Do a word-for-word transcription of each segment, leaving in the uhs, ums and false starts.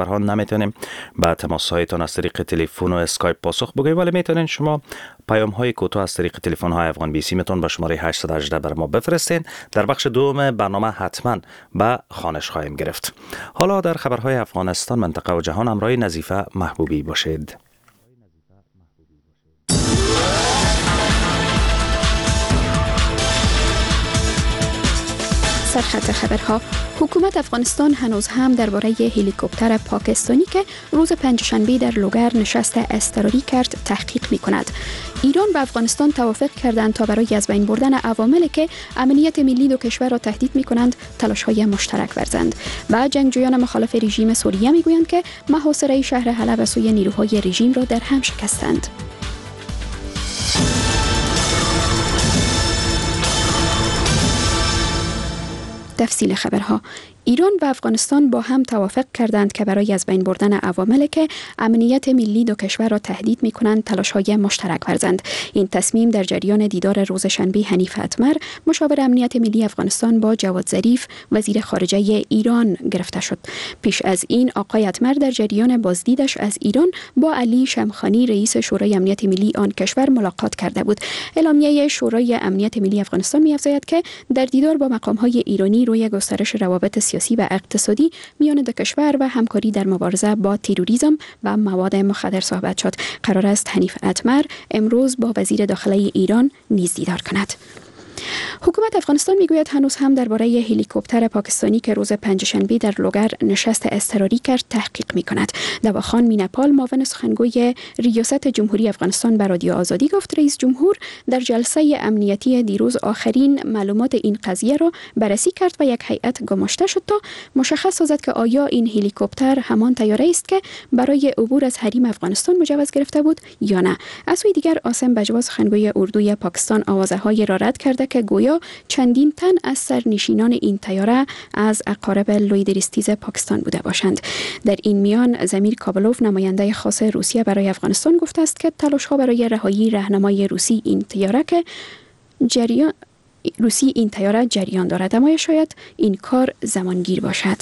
خبرها نمیتونیم به تماس هایتان از طریق تلفن و اسکایپ پاسخ بگوییم، ولی میتونین شما پیام های کوتاه از طریق تلفن های افغان بی سیمتون به شماره هشت یک هشت بر ما بفرستین. در بخش دوم برنامه حتما به خوانش خواهیم گرفت. حالا در خبرهای افغانستان، منطقه و جهان همراه نظیفه محبوبی باشید. سرخط خبرها: حکومت افغانستان هنوز هم درباره هلیکوپتر پاکستانی که روز پنجشنبه در لوگر نشست اضطراری کرد تحقیق می کند. ایران و افغانستان توافق کردند تا برای از بین بردن عواملی که امنیت ملی دو کشور را تهدید می کنند تلاش های مشترک ورزند. و جنگجویان مخالف رژیم سوریه می گویند که محاصره شهر حلب از سوی نیروهای رژیم را در هم شکستند. تفصیل خبرها: ایران و افغانستان با هم توافق کردند که برای از بین بردن عواملی که امنیت ملی دو کشور را تهدید می کنند تلاش‌های مشترک ورزند. این تصمیم در جریان دیدار روز شنبه حنیف اتمر، مشاور امنیت ملی افغانستان، با جواد ظریف، وزیر خارجه ایران گرفته شد. پیش از این آقای اتمر در جریان بازدیدش از ایران با علی شمخانی، رئیس شورای امنیت ملی آن کشور، ملاقات کرده بود. اعلامیه شورای امنیت ملی افغانستان می‌افزاید که در دیدار با مقام‌های ایرانی روی گسترش روابط سیاسی و اقتصادی میان دو کشور و همکاری در مبارزه با تروریسم و مواد مخدر صحبت شد. قرار است حنیف اتمر امروز با وزیر داخله ایران نیز دیدار کند. حکومت افغانستان میگوید هنوز هم درباره هلیکوپتر پاکستانی که روز پنجشنبه در لوگر نشست اضطراری کرد تحقیق میکند. دواخان مینپال، معاون سخنگوی ریاست جمهوری افغانستان، به رادیو آزادی گفت رئیس جمهور در جلسه امنیتی دیروز آخرین معلومات این قضیه را بررسی کرد و یک هیئت گماشته شد تا مشخص سازد که آیا این هلیکوپتر همان طیاره است که برای عبور از حریم افغانستان مجوز گرفته بود یا نه. از سوی دیگر عاصم بجوا، سخنگوی اردوی پاکستان، آوازه را رد کرده که گویا چندین تن از سرنشینان این طیاره از اقارب لوی درستیز پاکستان بوده باشند. در این میان ضمیر کابلوف، نماینده خاص روسیه برای افغانستان، گفته است که تلاش‌ها برای رهایی رهنمای روسی این طیاره که جریان روسی این طیاره جریان دارد، اما شاید این کار زمانگیر باشد.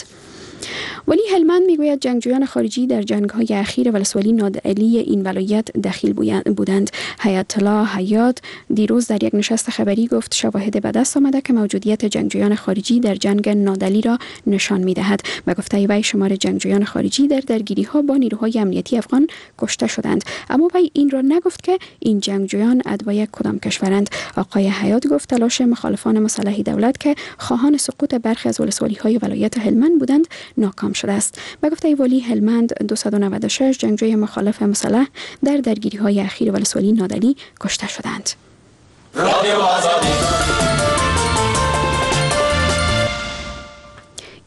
ولی هلمند میگوید جنگجویان خارجی در جنگ‌های اخیر ولسوالی نادعلی این ولایت دخیل بودند. حیات الله حیات دیروز در یک نشست خبری گفت شواهد به دست آمده که موجودیت جنگجویان خارجی در جنگ نادعلی را نشان می‌دهد. به گفته وی شمار جنگجویان خارجی در درگیری‌ها با نیروهای امنیتی افغان کشته شدند، اما وی این را نگفت که این جنگجویان اتباع کدام کشورند. آقای حیات گفت تلاش مخالفان مسلح دولت که خواهان سقوط برخی از ولسوالی‌های ولایت هلمند بودند ناکام شده است. به گفته والی هلمند دویست و نود و شش جنگجوی مخالف مسلح در درگیری‌های اخیر ولسوالی نادعلی کشته شدند.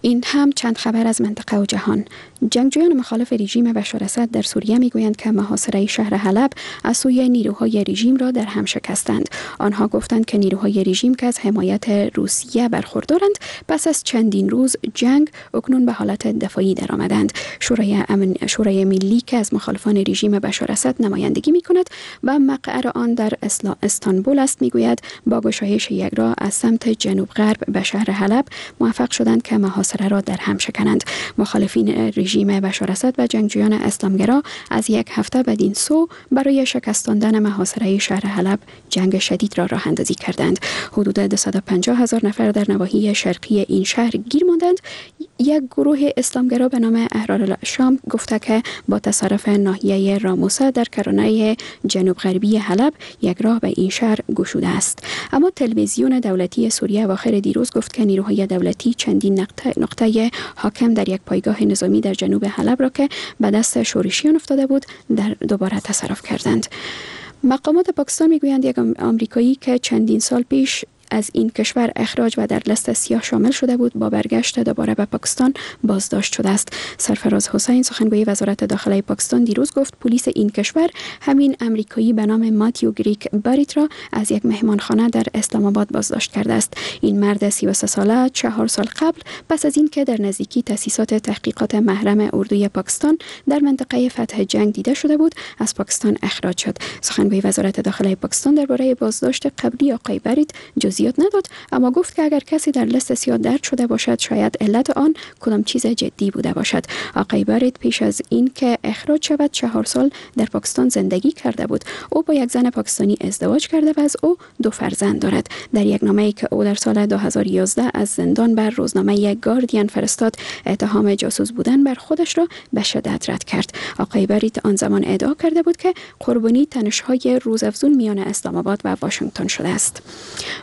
این هم چند خبر از منطقه و جهان. جنگجویان مخالف رژیم بشار اسد در سوریه میگویند که محاصره شهر حلب از سوی نیروهای رژیم را در هم شکستند. آنها گفتند که نیروهای رژیم که از حمایت روسیه برخوردارند پس از چندین روز جنگ اکنون به حالت دفاعی درآمدند. شورای امن شورای ملی که از مخالفان رژیم بشار اسد نمایندگی میکند و مقر آن در استانبول است میگوید با گشایش یک راه از سمت جنوب غرب به شهر حلب موفق شدند که محاصره را در هم شکنند. مخالفین رژیم بشار اسد و جنگجویان اسلامگرا از یک هفته بدین سو برای شکستاندن محاصره شهر حلب جنگ شدید را راه اندازی کردند. حدود دویست و پنجاه هزار نفر در نواحی شرقی این شهر گیر ماندند. یک گروه اسلامگرا به نام احرار الشام گفته که با تصرف ناحیه راموسه در کرانه جنوب غربی حلب یک راه به این شهر گشوده است. اما تلویزیون دولتی سوریه اواخر دیروز گفت که نیروهای دولتی چندین نقطه نقطه حاکم در یک پایگاه نظامی در جنوب حلب را که به دست شورشیان افتاده بود در دوباره تصرف کردند. مقامات پاکستان میگویند یک آمریکایی که چندین سال پیش از این کشور اخراج و در لست سیاه شامل شده بود با برگشت دوباره به پاکستان بازداشت شده است. سرفراز حسین، سخنگوی وزارت داخله پاکستان، دیروز گفت پلیس این کشور همین امریکایی به نام ماتیو گریک باریت را از یک مهمانخانه در اسلام آباد بازداشت کرده است. این مرد سی و سه ساله چهار سال قبل پس از اینکه در نزدیکی تأسیسات تحقیقات محرم اردوی پاکستان در منطقه فتح جنگ دیده شده بود از پاکستان اخراج شد. سخنگوی وزارت داخله پاکستان درباره بازداشت قبلی آقای باریت جزئیات جزئیات نداد، اما گفت که اگر کسی در لیست سیاه درج شده باشد شاید علت آن کدام چیز جدی بوده باشد. آقای باریت پیش از این که اخراج شود چهار سال در پاکستان زندگی کرده بود. او با یک زن پاکستانی ازدواج کرده و از او دو فرزند دارد. در یک نامه‌ای که او در سال دو هزار و یازده از زندان بر روزنامه گاردین فرستاد، اتهام جاسوس بودن بر خودش را به شدت رد کرد. آقای باریت آن زمان ادعا کرده بود که قربانی تنش‌های روزافزون میان اسلام آباد و واشنگتن شده است.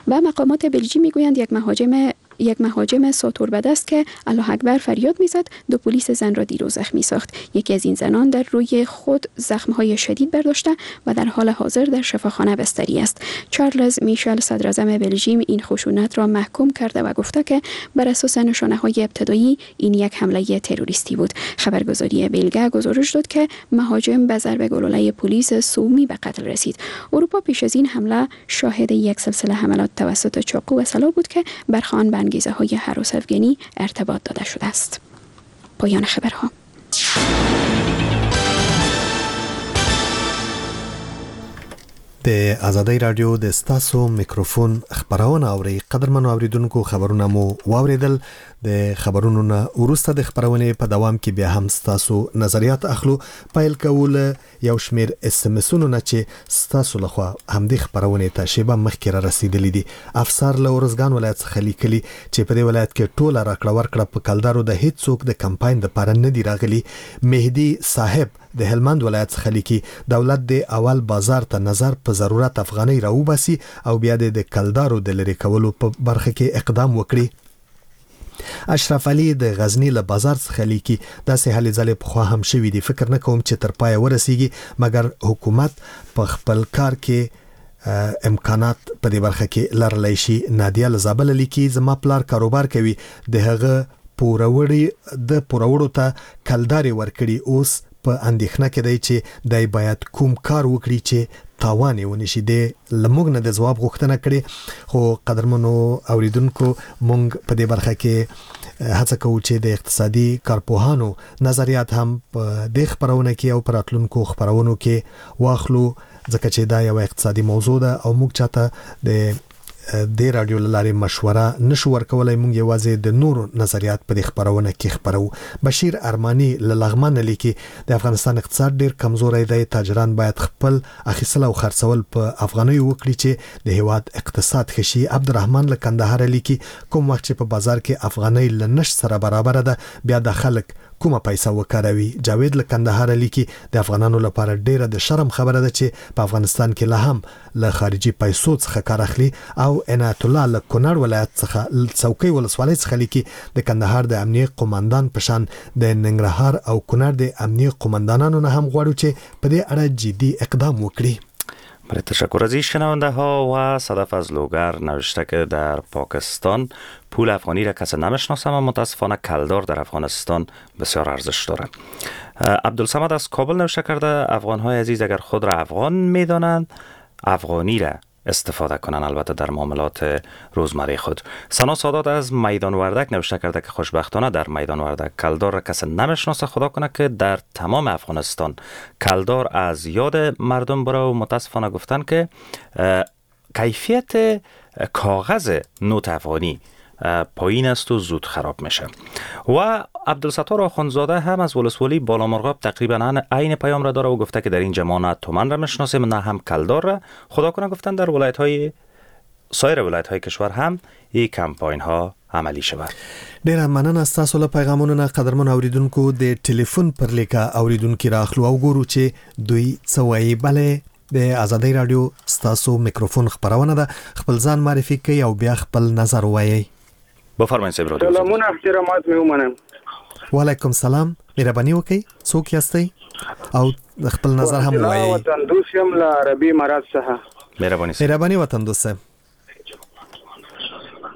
و مقامات بلژیک میگویند یک مهاجم یک مهاجم ساتور به دست که الله اکبر فریاد میزد دو پلیس زن را دیروز زخمی ساخت. یکی از این زنان در روی خود زخم‌های شدید برداشته و در حال حاضر در شفاخانه بستری است. چارلز میشل صدراعظم بلژیم این خشونت را محکوم کرده و گفته که بر اساس نشانه‌های ابتدایی این یک حمله تروریستی بود. خبرگزاری بلگه گزارش داد که مهاجم به ضرب گلوله پلیس سومی به قتل رسید. اروپا پیش از این حمله شاهد یک سلسله حملات توسط چاقو و سلاح بود که برخوان به انگیزه های هراس افگنی ارتباط داده شده است. پایان خبرها. د ازادۍ راډیو د ستاسو میکروفون خبرونه اوري. قدرمنو اوریدونکو، خبرونه مو واوریدل. د خبرونو نه وروسته د خبرونې په دوام کې بیا هم ستاسو نظریات اخلو. پیل کوو له یو شمېر اس ام اسونو نه چې ستاسو لخوا همدې خپرونې ته شیبه مخکې را رسېدلي دي. افسر له ارزګان ولایت څخه لیکلي چې په دې ولایت کې ټوله راکړه ورکړه په کلدارو د هیڅوک د کمپاین دپاره نه دي راغلي. مهدي صاحب د هلمند ولایت څخه لیکي دولت د اول بازار ته نظر په ضرورت افغانۍ راوباسي او بیا د کلدارو د لرې کولو په برخه کې اقدام وکړي. اشرف علي د غزنی له بازار څخه لیکي داسې هلې ځلې پخوا هم شوي دي، فکر نه کوم چې تر پایه ورسیږي، مګر حکومت په خپل کار کې امکانات په دې برخه کې لرلی شي. نادیه له زابله لیکي زما پلار کاروبار کوي، د هغه پوروړي د پوروړو ته کلدارې ورکړي، اوس په اندېښنه کې دی چې دی باید کوم کار وکړي چې تاوان یې ونه شي. دی له موږ نه د ځواب غوښتنه کړې، خو قدرمنو اوریدونکو موږ په دې برخه کې هڅه کوو چې د اقتصادي کارپوهانو نظریات هم په دې خپرونه کې او په راتلونکو خپرونو کې واخلو، ځکه چې دا یوه اقتصادي موضوع ده او موږ چاته د دې راډیو له لارې مشوره نشو ورکولی. موږ یوازې د نورو نظریات په دې خپرونه کې خپروو. بشیر ارماني له لغمانه لیکي د افغانستان اقتصاد ډیر کمزوری دی، تاجران باید خپل اخیستل او خرڅول په افغانیو وکړي چې د هیواد اقتصاد ښه شي. عبدالرحمن له کندهاره لیکي کوم وخت چې په بازار کې افغانۍ له نشت سره برابره ده بیا د خلک کومه پیسه وکاروي. جاوید له کندهاره لیکي د افغانانو لپاره ډیره د شرم خبره ده چې په افغانستان کې لا هم له خارجي پیسو څخه کار اخلي. او عنایت الله له کونړ ولایت څخه څوکۍ ولسوالۍ څخه لیکي د کندهار د امنیې قومندان په شان د ننګرهار او کونړ د امنیې قومندانانو نه هم غواړو چې په دې اړه جدي اقدام وکړي. برای تشکر از این شنونده ها و صدف از لوگر نوشته که در پاکستان پول افغانی را کسی نمیشناسم و متاسفانه کلدار در افغانستان بسیار ارزش داره. عبدالصمد از کابل نوشته کرده افغان های عزیز اگر خود را افغان میدانند افغانی را استفاده کنن، البته در معاملات روزمره خود. سنا سادات از میدان وردک نوشته کرده که خوشبختانه در میدان وردک کلدار را کسی نمیشناسه، خدا کنه که در تمام افغانستان کلدار از یاد مردم بره. و متاسفانه گفتن که کیفیت کاغذ نوت افغانی پایین است و زود خراب میشه. و عبدالستار آخوندزاده هم از ولسوالی بالامرغاب تقریبا عین پیام را داره و گفته که در اینجا ما نه تومن را میشناسیم نه هم کلدار را. خدا کنه گفتن در ولایت های سایر ولایت های کشور هم این کمپاین ها عملی شود. ډیره مننه ستاسو له پیغامونو نه. قدرمن اوریدونکو د ټلیفون پر لیکه اوریدونکي راخلو او ګورو چې دوی څه وایي. بله د ازادۍ راډیو ستاسو میکروفون خپرونه ده، خپل ځان معرفي کوي او بیا خپل نظر وایي. بفرمایئ صاحب رادیو. سلامونه احترامات مې ومنم. وعلیکم سلام، مهرباني وکړئ، څوک یاستئ او خپل نظر هم ووایئ. وطن دوست یم له عربي امارات څخه. مهرباني مهرباني وطن دوست صاحب.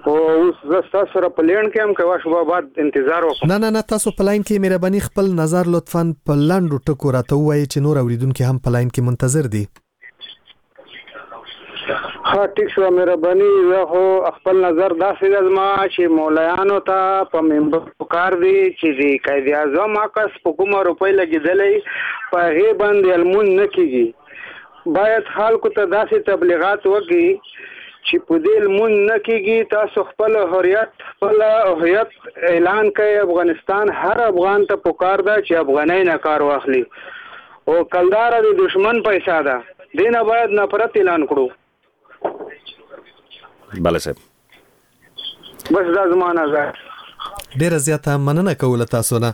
خو اوس زه ستاسو سره په line کې یم، که وشو بعد انتظار وکړم. نه نه نه، تاسو په line کې مهرباني خپل نظر لطفاً په لنډو ټکو راته ووایئ چې نور اوریدونکي هم په line کې منتظر دي. ښه ټیک شو، مهرباني. زه خو خپل نظر داسې ده زما چې مولایانو ته په منبر پکار دی چې د قائد اعظم عکس په کومه روپۍ لګېدلی په هغې باندې لمونځ نه کېږي. باید خلکو ته داسې تبلیغات وکړي چې په دې لمونځ نه کېږي. تاسو خپل حریت خپل هویت اعلان کړئ. افغانستان هر افغان ته پکار ده چې افغانۍ نه کار واخلي، او کلداره د دشمن پیسه ده، دې نه باید نفرت اعلان کړو. بله صاحب، بس دا زما نظر. ډیره زیاته مننه کوله تاسو نه.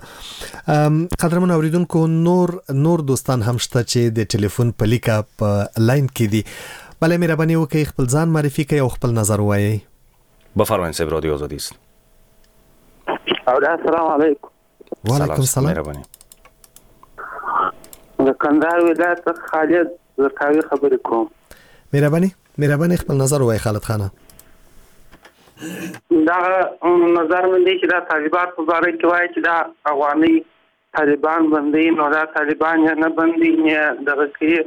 قدرمن اوریدونکو، نور نور دوستان هم شته چې د ټلیفون په لیکه په لاین کې دي. بله مهرباني وکړئ خپل ځان معرفي کړئ او خپل نظر ووایئ. بفرمایئ صاحب، رادیو آزادی است. السلام علیکم. وعلیکم السلام. مهرباني. د کندهار ولایت خالد زرکاوي خبرې کوم. مهرباني مهرباني خپل نظر ووایئ خالد خانه. دا نظر مې دی چې دا طالبان په باره کې وایي چې دا افغاني طالبان بندي، نو دا طالبان یې نه بندي نه دغه کوي.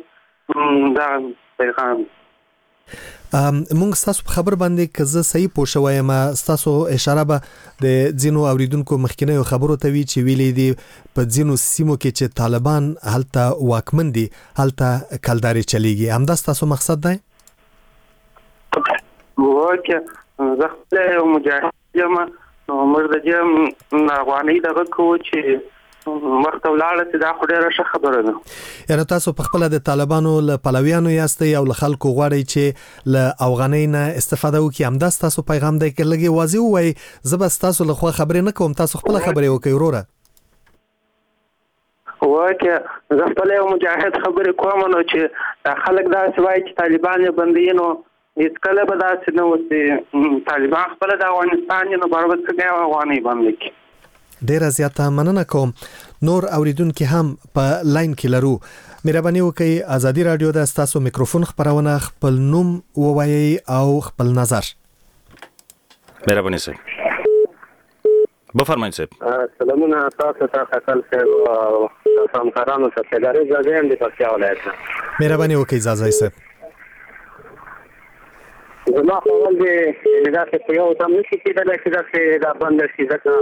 دا پیغام مونږ ستاسو په خبر باندې که زه صحیح پوه شوی یم، ستاسو اشاره به د ځینو اوریدونکو مخکینیو خبرو ته وي چې ویلي دي په ځینو سیمو کې چې طالبان هلته واکمن دي هلته کلدارې چلیږي. همدا ستاسو مقصد دی؟ okay، زه خپله یو مجاهد یم، نو موږ د دې افغانۍ دغه کوو چې مخته ولاړه شي، دا خو ډېره ښه خبره ده. یعنې تاسو په خپله د طالبانو له پلویانو یاستئ او له خلکو غواړئ چې له افغانۍ نه استفاده وکړي، همدا ستاسو پیغام دی؟ که لږ یې واضح ووایئ، زه به ستاسو له خوا خبرې نه کوم، تاسو خپله خبرې وکړئ وروره. okay، زه خپله یو مجاهد خبرې کوم، نو چې دا خلک داسې وایي چې طالبان یې بندوي، نو هېڅکله به داسې نه وسي. طالبان خپله د افغانستان یې، نو برابر څنګه یو افغانۍ بنده کړي. ډیره زیاته مننه کوم. نور اوریدونکي هم په لاین کې لرو. مهرباني وکړئ ازادي راډیو ده ستاسو میکروفون خپرونه، خپل نوم ووایئ او خپل نظر. مهرباني صاحب، بفرمایئ صاحب. سلامونه تاسو ته خپل صاحب او تاسو همکارانو ته. ادارې ځاځی یم د پکتیا ولایت نه. مهرباني وکړئ ځاځی صاحب. زما خو اول دی داسې په یو دم نه شي کېدلی چې داسې دا بنده شي، ځکه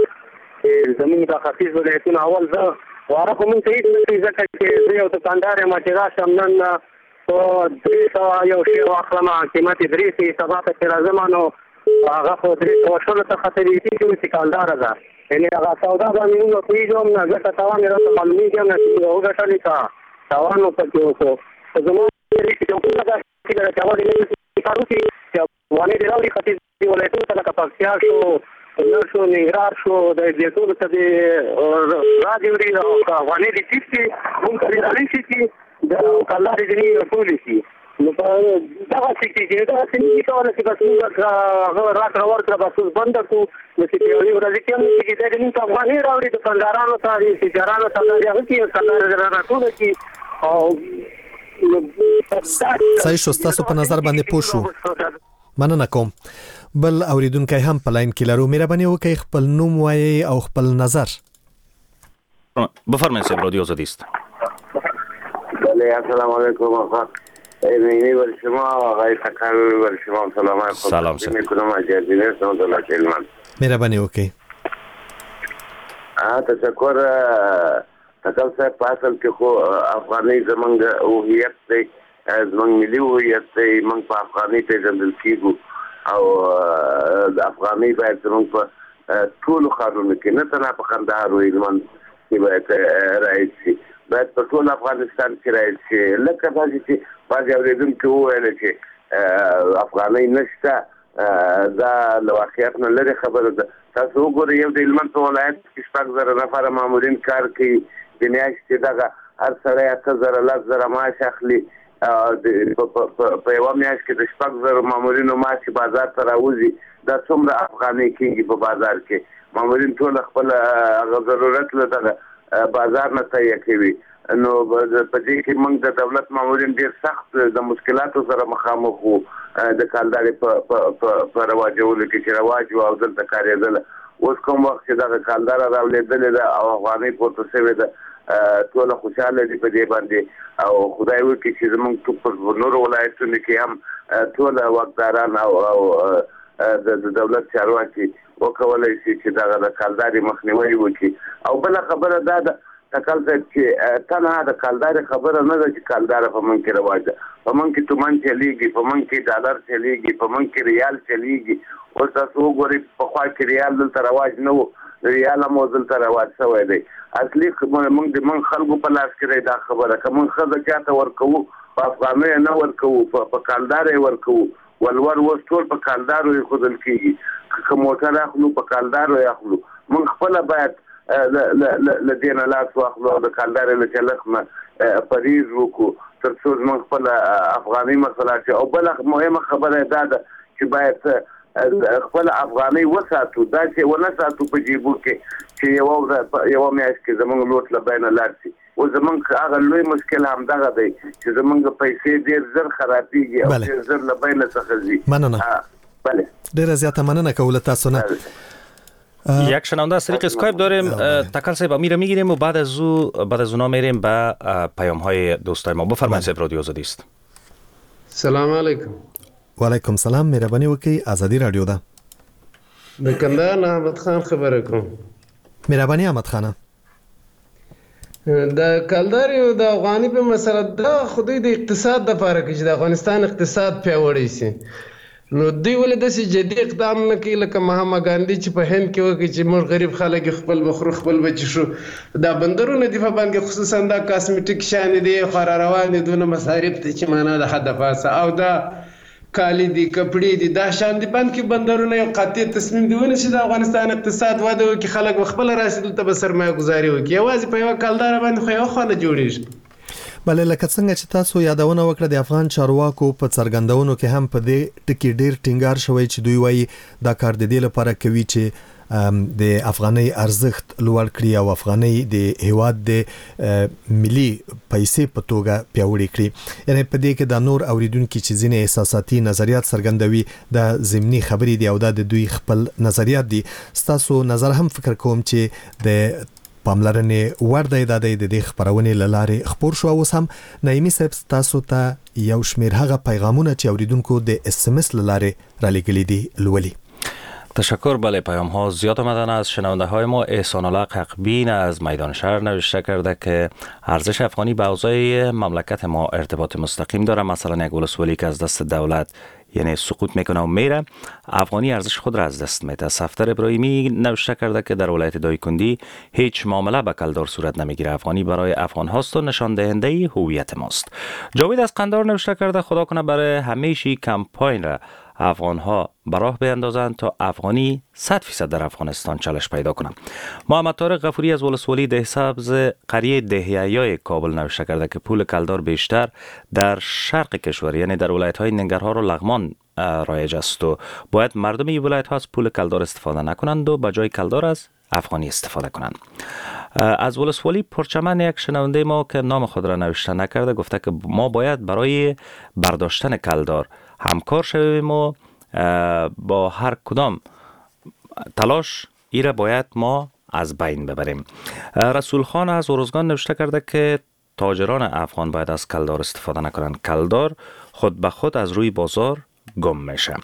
چې زمونږ د ختیځ ولایتونه اول زه واره خو مونږ ته هېڅ نه کوي، ځکه چې زه یو دوکاندار یم چې راشم نن په درې سوه یو شی واخلم، قیمت یې درې سوه، سبا ته چې راځم نو هغه خو درې سوه شلو ته ختلی کېږي چې کالداره ده. یعنې هغه سودا باندې مونږ پوهېږو هم نه، ځکه تاوان یې راته معلومېږي هم نه چې مونږ وګټلې که تاوان مو پکې وکړو. خو زما داسې ده چې اول دې کار وکړي چې افغانۍ دې راوړي ختیځ ولایتونو ته، لکه پکتیا شو، کونړ شو، ننګرهار شو، د دې ټولو ته دې را دې وړي او که افغانۍ دې ټیټ شي مونږ ته دې رانه شي چې د کلدارې دې نه ټولې شي. نو په دغسې کېږي، دغسې نه شي کولی چې بس مونږ هغه راکړه ورکړه بس اوس بنده کړو، نو چې په یوې ورځې کې هم نه کېږي. دا دې مونږ ته افغانۍ راوړي دوکاندارانو ته، تجارانو ته، دا دې هغه کړي، کلدارې دې راټوله کړي. او صحیح شو، ستاسو په نظر باندې پوه شو، مننه کوم. بل اوریدونکی هم په لاین کې لرو. مهرباني وکړئ خپل نوم وایئ او خپل نظر. بفرمایئ صاحب، رادیو آزادی است. بله، السلام علیکم آقا ایمنی بر شما، آقای تکل بر شما سلام. سلام صاحب. میکنم از جزیره سمت هلمند. مهرباني وکړئ. تشکر تکل صاحب. په اصل کې خو افغانۍ زمونږ هویت دی، زمونږ ملي هویت دی، موږ په افغانۍ پېژندل کېږو او افغانۍ باید زمونږ په ټولو ښارونو کې، نه تنها په کندهار او هلمند کې باید رایج شي، باید په ټول افغانستان کې رایج شي. لکه داسې چې بعضې اورېدونکي وویل چې افغانۍ نشته، دا له واقعیت نه لرې خبره ده. تاسو وګورئ، یو د هلمند په ولایت کې شپږ زره نفره مامورین کار کوي، د میاشتې دغه هر سړی اته زره لس زره معاش اخلي. په یوه میاشت کې د شپږ زرو مامورینو معاش چې بازار ته راوځي، دا څومره افغانۍ کېږي په بازار کې؟ مامورین ټول خپل هغه ضرورت له دغه بازار نه تهیه کوي. نو په دې کې موږ د دولت مامورین ډېر سخت د مشکلاتو سره مخامخ وو د کالدارې په په رواجولو کې چې رواج و او دلته کارېدله. اوس کوم وخت چې دغه کالداره راولېدلې ده او افغانۍ پورته شوې ده، ټوله خوشحاله دي په دې باندې. او خدای وکړي چې زموږ په نورو ولایتونو کې هم ټوله واکداران او او د دولت چارواکي وکولای شي چې دغه د کالدارې مخنیوی وکړي. او بله خبره دا ده تکل صاحب چې تنها د کالدارې خبره نه ده چې کالداره په موږ کې رواج ده، په موږ کې تومن چلیږي، په موږ کې ډالر چلیږي، په موږ کې ریال چلیږي. اوس تاسو وګورئ پخوا کې ریال دلته رواج نه و، ریال هم اوس دلته رواج شوی دی. اصلي موږ د موږ خلکو په لاس کې دی دا خبره، که موږ ښځه چاته ورکوو په افغانیو نه ورکوو، په کالداره یې ورکوو. ولور اوس ټول په کالدارو ایښودل کېږي، که موټر اخلو په کالدارو یې اخلو. موږ خپله باید له دې نه لاس واخلو او د کالدارې له چلښت نه پرهیز وکړو تر څو زموږ خپله افغانۍ مسله شي. او بله مهمه خبره دا ده چې باید خپله افغانۍ وساتو، داسې ونه ساتو په جیبو کې چې یوه ورځ یوه میاشت کې زموږ لوټ له بینه لاړ شي. اوس زموږ هغه لوی مشکل همدغه دی چې زموږ پیسې ډېر زر خرابېږي او ډېر زر له بینه څخه ځي. مننه. بله ډېره زیاته مننه کوو له تاسو نه. یک شنونده از طریق اسکایپ داریم، تکل صاحب امیر میگیریم و بعد از او بعد از اونا میریم به پیام های دوستای ما. بفرمایید صاحب، رادیو آزادی است. سلام علیکم. و علیکم سلام، مهرباني وکړئ، ازادي رادیو ده. د کندهار نه احمد خان خبره کوم. مهرباني احمد خانه. د کلدارې او د افغاني په مسله دا خو دوی د اقتصاد دپاره کوي چې د افغانستان اقتصاد پیاوړی شي. نو دوی ولې داسې جدي اقدام نه کوي لکه مهاما ګاندي چې په هند کې وکړي چې موږ غریب خلک یو، خپل به خورو خپل به چښو. دا بندرونه دي په باندې خصوصا دا کاسمیټیک شیان دي خو را روان دي، دونه مصارف دي چې معنا د حده پاسه، او دا کالي دي کپړې دي دا شیان دي بند کې بندرونه یو قاطع تصمیم دی ونیسي د افغانستان اقتصاد وده وکړي، خلک به خپله راشي دلته به سرمایه ګذاري وکړي. یوازې په یوه کالداره باندې خو یوه خوا نه جوړېږي. بله لکه څنګه چې تاسو یادونه وکړه د افغان چارواکو په څرګندونو کې هم په دې ټکي ډیر ټینګار شوی چې دوی وایي دا کار د دې لپاره کوي چې د افغانۍ ارزښت لوړ کړي او افغانۍ د هیواد د ملي پیسې په توګه پیاوړې کړي. یعنی په دې کې دا نور اوریدونکي چې ځینې احساساتي نظریات څرګندوي دا ضمني خبرې دي او دا د دوی خپل نظریات دي. ستاسو نظر هم فکر کوم چې د پاملرنې وړ دی، دا دی د دې خپرونې له لارې خپور شو. اوس هم نعیمي صاحب تاسو ته یو شمېر هغه پیغامونه چې اوریدونکو د اس ام اس له لارې رالیږلي دي لولي. تشکر. بله، پیام ها زیاد آمدن از شنونده های ما. احسان الله حقبین از میدان شهر نوشته کرده که ارزش افغانی به اوضاع مملکت ما ارتباط مستقیم داره. مثلا یک ولسوالی که از دست دولت یعنی سقوط میکنه و میره، افغانی ارزش خود را از دست میده. صفدر ابراهیمی نوشته کرده که در ولایت دایکندی هیچ معامله به کلدار صورت نمیگیره، افغانی برای افغان هاست و نشان دهنده هویت ماست. جاوید از قندار نوشته کرده خدا کنه برای همیشه کمپاین را افغان ها براه بیندازند تا افغانی صد فیصد در افغانستان چالش پیدا کنند. محمد طارق غفوری از ولسوالی ده سبز قریه دهیای کابل نوشته کرده که پول کلدار بیشتر در شرق کشور یعنی در ولایت های ننگرهار و لغمان رایج است و باید مردم این ولایت ها از پول کلدار استفاده نکنند و به جای کلدار از افغانی استفاده کنند. از ولسوالی پرچمن یک شنونده ما که نام خود را نوشته نکرده گفته که ما باید برای برداشتن کلدار همکار شویم و با هر کدام تلاش ای را باید ما از بین ببریم. رسول خان از ارزگان نوشته کرده که تاجران افغان باید از کلدار استفاده نکنند، کلدار خود به خود از روی بازار گم میشه.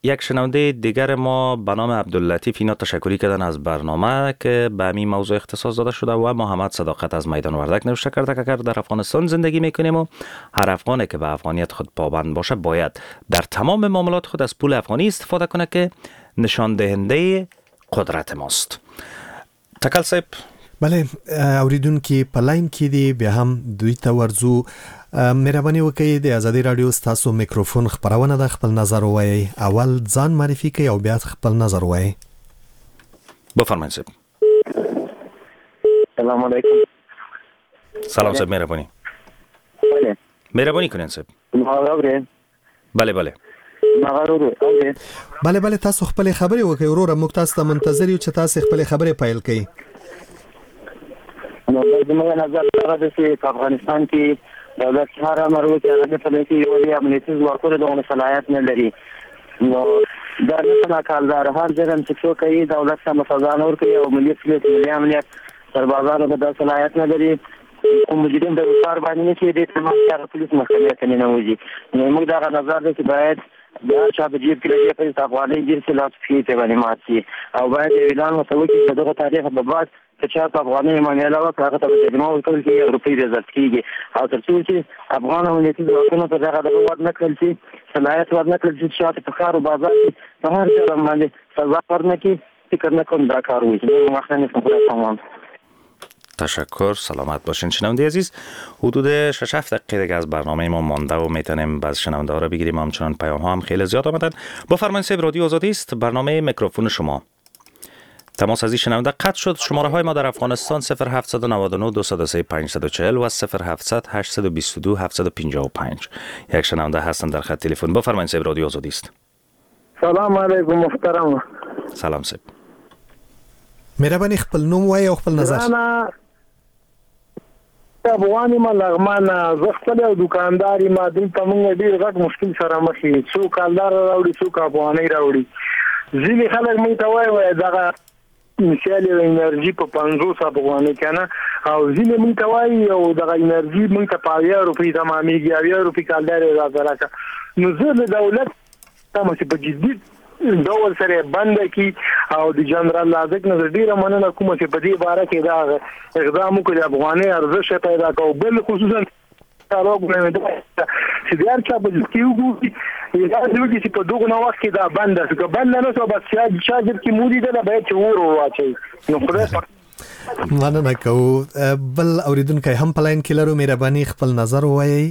یک شنونده دیگر ما به نام عبداللطیف اینا تشکری کردن از برنامه که به همین موضوع اختصاص داده شده و محمد صداقت از میدان وردک نوشته کرده که اگر در افغانستان زندگی میکنیم و هر افغانی که به افغانیت خود پابند باشه باید در تمام معاملات خود از پول افغانی استفاده کنه که نشان دهنده قدرت ماست. تکل صاحب. بله، اوریدونکي په لاین کې دي، بیا هم دوی ته ورځو. مهرباني وکړئ د ازادي رادیو ستاسو میکروفون خپرونه ده، خپل نظر ووایئ. اول ځان معرفي کړئ او بیا خپل نظر ووایئ. بفرمایئ صاحب. سلام علیکم. سلام صاحب، مهرباني. بله مهرباني کنین صاحب. بله بله بله بله تاسو خپل خبرې وکړئ وروره، موږ تاسو ته منتظر یو چې تاسو خپل خبرې پیل کړئ. نو زموږ نظر دا دی چې په افغانستان کې دولت هر امر وکړي هغه نه پلي کوي، ولې امنیتي ځواکونه دغه صلاحیت نه لري. نو دا نه تنها کالدار هر جرم چې څوک کوي دولت سمه سزا نه ورکوي او ملي پولیس ملي امنیت سربازانو ته دا صلاحیت نه لري. کوم مجرم د کار باندې نه چې دې تمام هغه پولیس محکمې ته ننوځي. نو موږ دغه نظر دی چې باید د هر چا په جیب کې لږې پیسې افغانۍ ګیر شي، لاس پښې ته باندې مات شي او باید اعلان ورته وکړي چې دغه تاریخ به بعد که چا په افغانۍ معامله وکړه هغه ته به جریمه ورکول کېږي او روپۍ به ضبط کېږي. او تر څو چې افغان امنیتي ځواکونو ته دغه دغه ورنه کړل شي، صلاحیت ورنه کړل شي، چې چاته په ښار او بازار کې په هر جرم باندې سزا ورنه کړي، فکر نه کوم دا کار وشي. نور وخت نه نیسم، خدای په امان. تشکر، سلامت باشین شنونده عزیز. حدود شش هفت دقیقه دیگه از برنامه ما مانده و میتونیم بعض شنونده ها رو بگیریم. همچنان پیام ها هم خیلی زیاد آمدن. با فرمان صاحب رادیو آزادی است، برنامه میکروفون شما. تماس از این شنونده قطع شد. شماره های ما در افغانستان صفر هفت نه نه دو صفر سه پنج چهار و صفر هفت صفر هشت دو دو هفت پنج پنج. یک شنونده هستن در خط تلفن. با فرمان صاحب رادیو آزادی است. سلام علیکم محترم. سلام صاحب. مهرباني خپل نوم وایي او خپل نظر. افغان یم، لغمان، زه خپل یو دکاندار یم. دلته موږ ډېر غټ مشکل سره مخ یو، څوک کالدار راوړي، څوک افغانۍ راوړي. ځینې خلک موږ ته وایي وایي دغه مثال یو انرژي په پنځوس افغانۍ که نه، او ځینې موږ ته وایي او دغه انرژي موږ ته په اویا روپۍ تمامېږي، اویا روپۍ کالدار یې راته راکړه. نو زه له دولت تمه چې په جدي ډول سره بنده کی، او د جنرال لازک نه ډیره مننه کوم چې په دې باره کې دا اقدام وکړي، د افغانۍ ارزښت پیدا کړ. بل خصوصا چارواکو نه چې د هر چا په کې وګوري، داسې وکړي چې په دغه وخت کې دا بنده شو، که بنده نه شو بس چا جیب کې مو لیدله باید چې اور ور واچوي. نو خدای مننه کوو. بل اوریدونکی هم په لاین کې لرو، مهرباني خپل نظر ووایئ.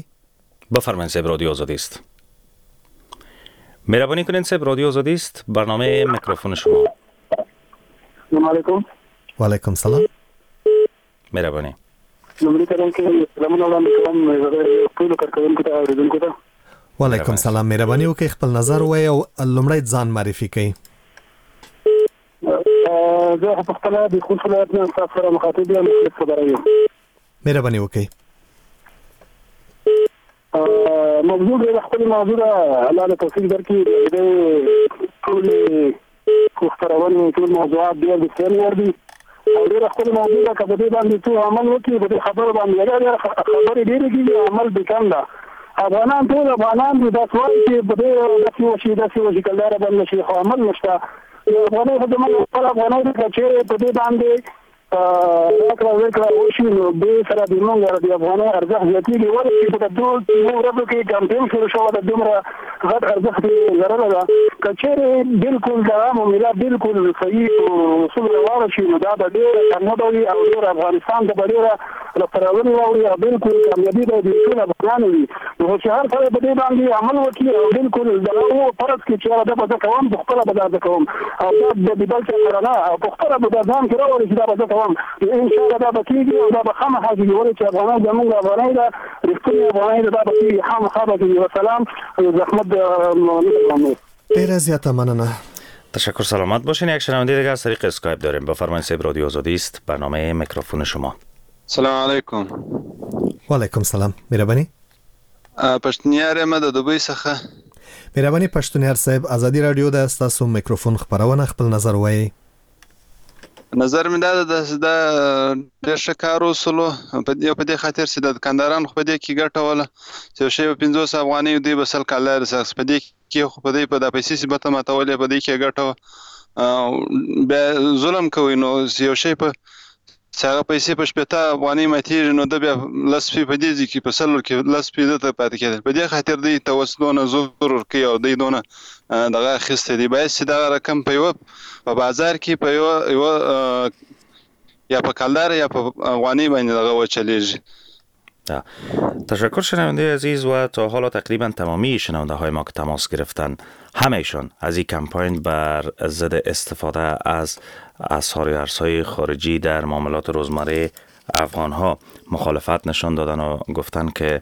بفرمایئ صاحب، رادیو آزادی است. مهربانی کنین صاحب، رادیو آزادی است، برنامه میکروفون شما. سلام علیکم. و علیکم سلام. مهربانی. لومړی قدم کې سلامونه وړاندې کوم ټولو کارکوونکو ته، اورېدونکو ته. و علیکم سلام. مهرباني وکړئ خپل نظر ووایئ او لومړی ځان معرفي کړئ. زه په خپله د خوست ولایت نه ستاسو سره مخاطب یم، مخلص خبره یم. مهرباني وکړئ. موضوع ډېره ښکلې موضوع ده، الله له توفیق درکړي. د ټولې خپرونې ټول موضوعات ډېر د څېړنې وړ دي او ډېره ښکلې موضوع ده. که په دې باندې څوک عمل وکړي، په دې خبرو باندې ډېره خبرې ډېرې کېږي، عمل بې کم ده. افغانان ټول افغانان دي، داسې وایي چې په دې داسې وشي داسې وشي کلداره بنده شي، خو عمل نشته. افغانۍ خو زموږ خپل افغانۍ ده، که چېرې په دې باندې راکړه ورکړه وشي نو دې سره د موږ د افغانۍ ارزښت زیاتېږي. ولې چې په دوو ورځو کې کمپین شروع شوی ده، دومره غټ ارزښت یې لرلی ده. که چېرې بالکل دغه معامله بالکل صحیح اصول روانه شي نو دا به ډېره کامیابه وي او ډېر افغانستان ته به ډېره لاسته راوړنې راوړي او بالکل کامیابي به د ټول افغانانو وي. نو چې هر سړی په دې باندې عمل وکړي او بالکل دغه فرض کړي چې دا به زه کوم، په خپله به دا زه کوم او دا د بل چا سره نه، او په خپله به دا ځان کې راوړي چې دا به زه کوم، ان شاء الله دا به کېږي او دا به خامخا کېږي. ولې چې افغانۍ زموږ افغانۍ ده، رښتونې افغانۍ ده، دا به کېږي، خامخا به کېږي. وسلام، زحمت نه. ډېره زیاته مننه. تشکر، سلامت باشین. یک شنونده دیگه از طریق اسکایپ داریم. بفرمایید صاحب، رادیو آزادی است، برنامه میکروفون شما. سلام علیکم. و علیکم سلام. مهرباني. پښتونیار یم د دوبۍ څخه. مهرباني پښتونیار صاحب، ازادي رادیو ده، ستاسو میکروفون خپرونه، خپل نظر وایئ. نظر مې دا ده، دا ډېر ښه کار وسولو په دې په دې خاطر چې د دکاندارانو خو په دې کې ګټه وله چې یو شی به پنځوس افغانۍ دوی به سل کالدارې سره په دې کې خو په دې په دا پیسې چې به ته ماتولې په دې کې ګټه وه. بیا ظلم کوي، نو یو شی په چې هغه پیسې په شپېته افغانۍ ماتېږي نو ده بیا لس پی په دې ځای کې په سلو کې لس پی ده ته پاتې کېدل. په دې خاطر دوی ته اوس دونه زور ورکوي او دوی دونه دغه اخیستی دی. باید چې دغه رقم په یوه په بازار کې په یوه یوه یا په کلدار یا په افغانۍ باندې دغه وچلېږي. تشکر شنونده عزیز. و تا حالا تقریبا تمامی شنونده های ما که تماس گرفتن همهشان از این کمپاین بر ضد استفاده از اسعار ارزهای خارجی در معاملات روزمره افغان ها مخالفت نشان دادن و گفتن که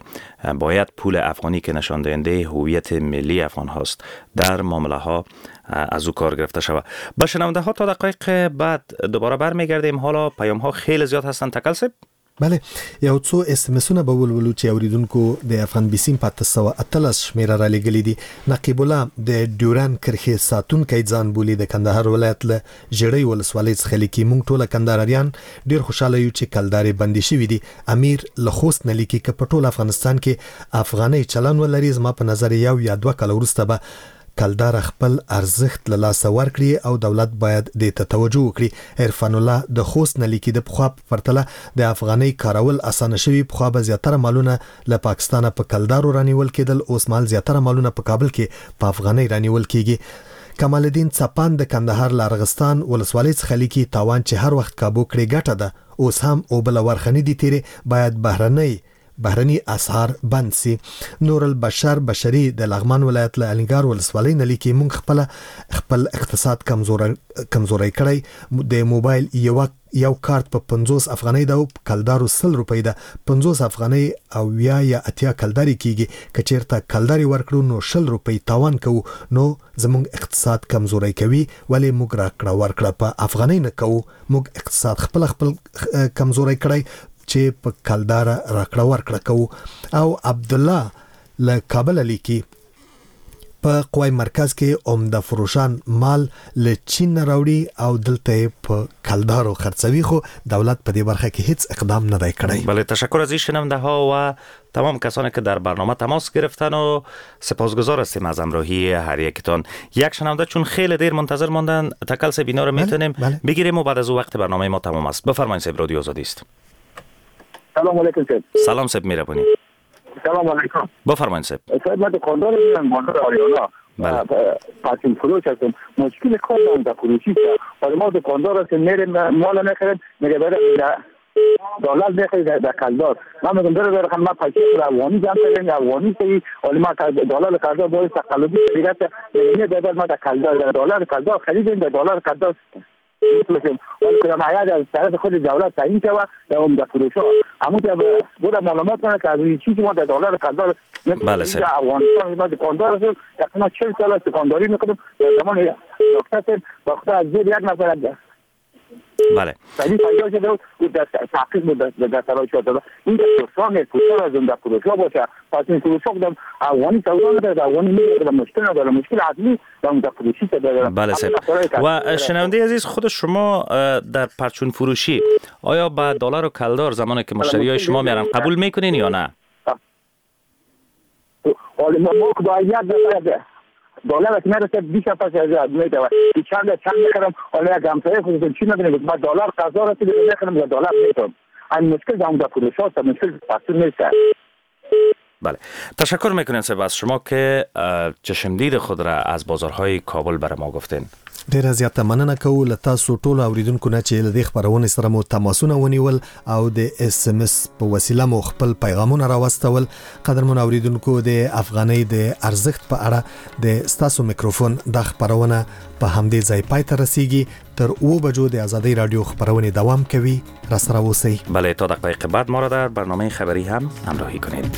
باید پول افغانی که نشان دهنده هویت ملی افغان هاست در معامله ها از او کار گرفته شود. با شنونده ها تا دقایق بعد دوباره برمیگردیم. حالا پیام ها خیلی زیاد هستن. تکل صاحب. بله، یو څو اس ام اسونه به ولولو چې اوریدونکو د افغان بیسیم په اته سوه اتلس شمېره رالیږلي دي. نقیب الله د ډیورن کرښې ساتونکی ځان بولي، د کندهار ولایت له ژړۍ ولسوالۍ څخه لیکي: موږ ټوله کندهاریان ډېر خوشحاله یو چې کلدارې بندې شوې دي. امیر له خوست نه لیکي: که په ټول افغانستان کې افغانۍ چلن ولري، زما په نظر یو یا دوه کاله وروسته به کلدار خپل ارزښت له لاسه ورکړي او دولت باید دې ته توجه وکړي. عرفان الله د خوست نه لیکي، د پخوا په پرتله د افغانۍ کارول اسانه شوي، پخوا به زیاتره مالونه له پاکستانه په کلدارو رانیول کېدل، اوس مهال زیاتره مالونه په کابل کې په افغانۍ رانیول کېږي. کمال الدین څپان د کندهار له ارغستان ولسوالۍ څخه لیکي، تاوان چې هر وخت کابو کړې ګټه ده، اوس هم اوبه له ورخه نه دي تېرې، باید بهرنۍ بهرني اسعار بند سي. نور البشر بشري د لغمان ولایت له الینګار ولسوالۍ نه لیکي، موږ خپله خپل اقتصاد کمزوری کمزوری کړی، د موبایل یو یو کارت په پنځوس افغانۍ ده او په کلدارو سل روپۍ ده، پنځوس افغانۍ او یا یا اتیا کلدارې کیږي، که چیرته کلدارې ورکړو نو شل روپۍ تاوان کوو، نو زموږ اقتصاد کمزوری کوي، ولې موږ راکړه ورکړه په افغانۍ نه کوو، موږ اقتصاد خپل خپل کمزوری کړی چې په کلداره راکړه ورکړه کوو. او عبدالله له کابله لیکي، په قوای مرکز کې عمده فروشان مال له چین نه راوړي او دلته یې په کلدارو خرڅوي، خو دولت په دې برخه کې هیڅ اقدام نه دی کړی. بله، تشکر از این شنونده ها و تمام کسانی که در برنامه تماس گرفتن و سپاسگزار هستیم از همراهی هر یکتان. یک شنونده چون خیلی دیر منتظر ماندن، تکل صاحب اینا رو میتونیم بله. بگیریم و بعد از او وقت برنامه ما تمام است. بفرمایید صاحب، رادیو آزادی است. سلام علیکم صاحب. سلام صاحب، میربونی. سلام علیکم. بفرمایید صاحب. صاحب من دکاندار هستم، بازار آریانا. بله. پرچون فروش هستم. مشکل کار دارم در فروشی است. حالا ما دکاندار هستیم، میریم مال میخریم، میگه برای دلار میخری در کلدار. من میگم برای برای من پیسه خود افغانی جمع کردم، افغانی سی. حالا ما دلار کلدار باید تقلبی دیگه است. میگه نه ما در کلدار در دلار کلدار خریدیم، در دلار کلدار می‌فروشیم. ولی کدام عید از طرف خود دولت تعیین شود در عمده فروش‌ها همون بود معلومات کنه که از این چیزی ما در دلار کلدار بله سر. افغانستان ما دکاندار هستیم، تقریبا چهل سال است دکانداری می‌کنیم. در زمان دکتر با خدا از زیر یک نفر بله ولی پیدا شده بود در تحقیق بود در سرای شده این فروشان فروشان از عمده فروش‌ها باشه. پس این فروش‌ها کدام افغانی سودا نداره، افغانی می‌گیره، مشکل نداره، مشکل اصلی در عمده فروشی داره. بله سر. و شنونده عزیز، خود شما در پرچون فروشی آیا با دلار و کلدار زمانی که مشتریای شما میارن قبول میکنین یا نه؟ حالا ما ما باید یک دلار که میرسه بیست پس از میده چند چند میخرم. حالا یک همسایه خودتون چی میدونه ما دلار قضا رسیده میخرم و دلار میتونم. این مشکل در عمده فروش هاست، مشکل پرچون نیست. بله، تشکر میکنیم صاحب از شما که چشمدید خود را از بازارهای کابل بر ما گفتین. ډیره زیاته مننه کوو له تاسو ټولو اوریدونکو نه چې له دې خپرونې سره مو تماسونه ونیول او د اس ام اس په وسیله مو خپل پیغامونه راوستول. قدرمن اوریدونکو، د افغانۍ د ارزښت په اړه د ستاسو میکروفون دا خپرونه په همدې ځای پای ته رسیږي. تر اوو بجو د ازادۍ رادیو خپرونې دوام کوي، راسره اوسئ. بله، تا دقایق بعد ما را در برنامه خبری هم همراهی کنید.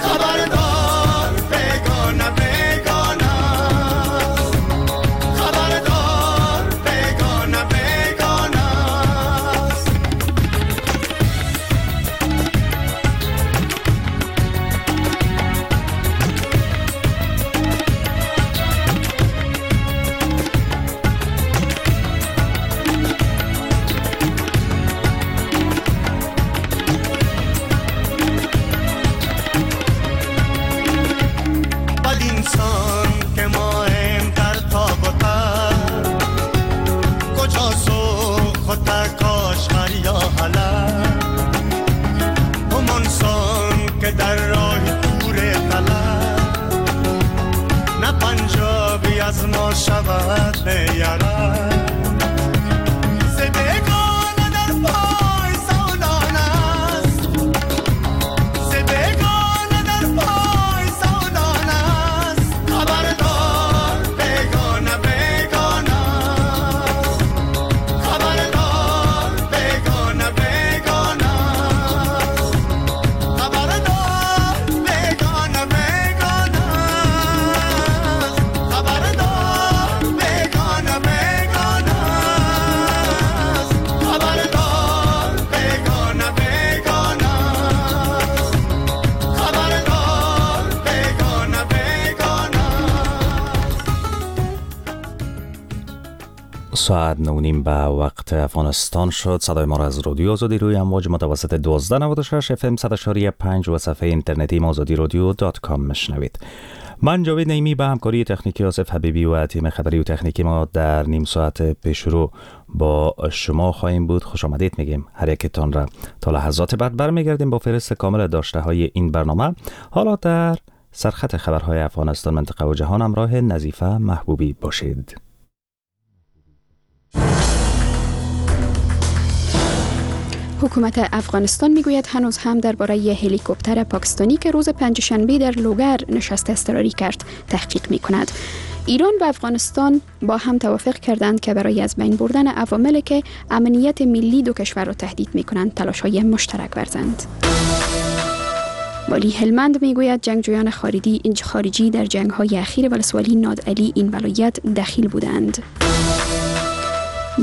خبردار بیگانه بیگانه. ساعت نه و نیم به وقت افغانستان شد. صدای ما را از رادیو آزادی روی امواج متوسط دوازده نود و شش اف ام صد و پنج و صفحه اینترنتی آزادی رادیو dot com میشنوید. من جاوید نعیمی به همکاری تکنیکی آصف حبیبی و تیم خبری و تکنیکی ما در نیم ساعت پیش رو با شما خواهیم بود. خوش آمدید میگیم هر یکتان را. تا لحظات بعد برمیگردیم با فهرست کامل داشته های این برنامه. حالا در سرخط خبرهای افغانستان، منطقه و جهان همراه نظیفه محبوبی باشید. حکومت افغانستان میگوید هنوز هم درباره هلیکوپتر پاکستانی که روز پنجشنبه در لوگر نشست اضطراری کرد تحقیق میکند. ایران و افغانستان با هم توافق کردند که برای از بین بردن عواملی که امنیت ملی دو کشور را تهدید میکنند تلاش‌های مشترک ورزند. والی هلمند میگوید جنگجویان خارجی در جنگ‌های اخیر ولسوالی نادعلی این ولایت دخیل بودند.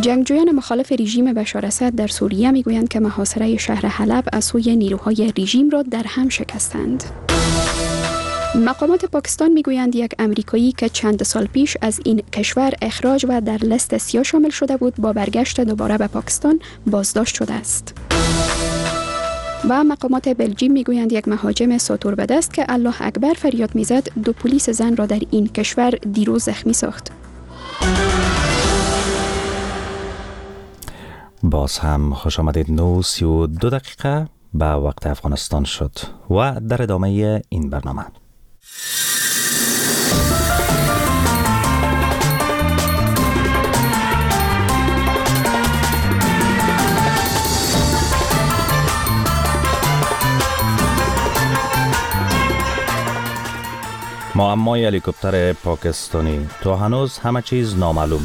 جنگجویان مخالف رژیم بشار اسد در سوریه میگویند که محاصره شهر حلب از سوی نیروهای رژیم را در هم شکستند. مقامات پاکستان میگویند یک امریکایی که چند سال پیش از این کشور اخراج و در لست سیاه شامل شده بود با برگشت دوباره به پاکستان بازداشت شده است. و مقامات بلژیم میگویند یک مهاجم ساتور به دست که الله اکبر فریاد میزد دو پلیس زن را در این کشور دیروز زخمی ساخت. باز هم خوش آمدید. نه سی و دو دقیقه به وقت افغانستان شد و در ادامه این برنامه معمای هلیکوپتر پاکستانی تا هنوز همه چیز نامعلوم.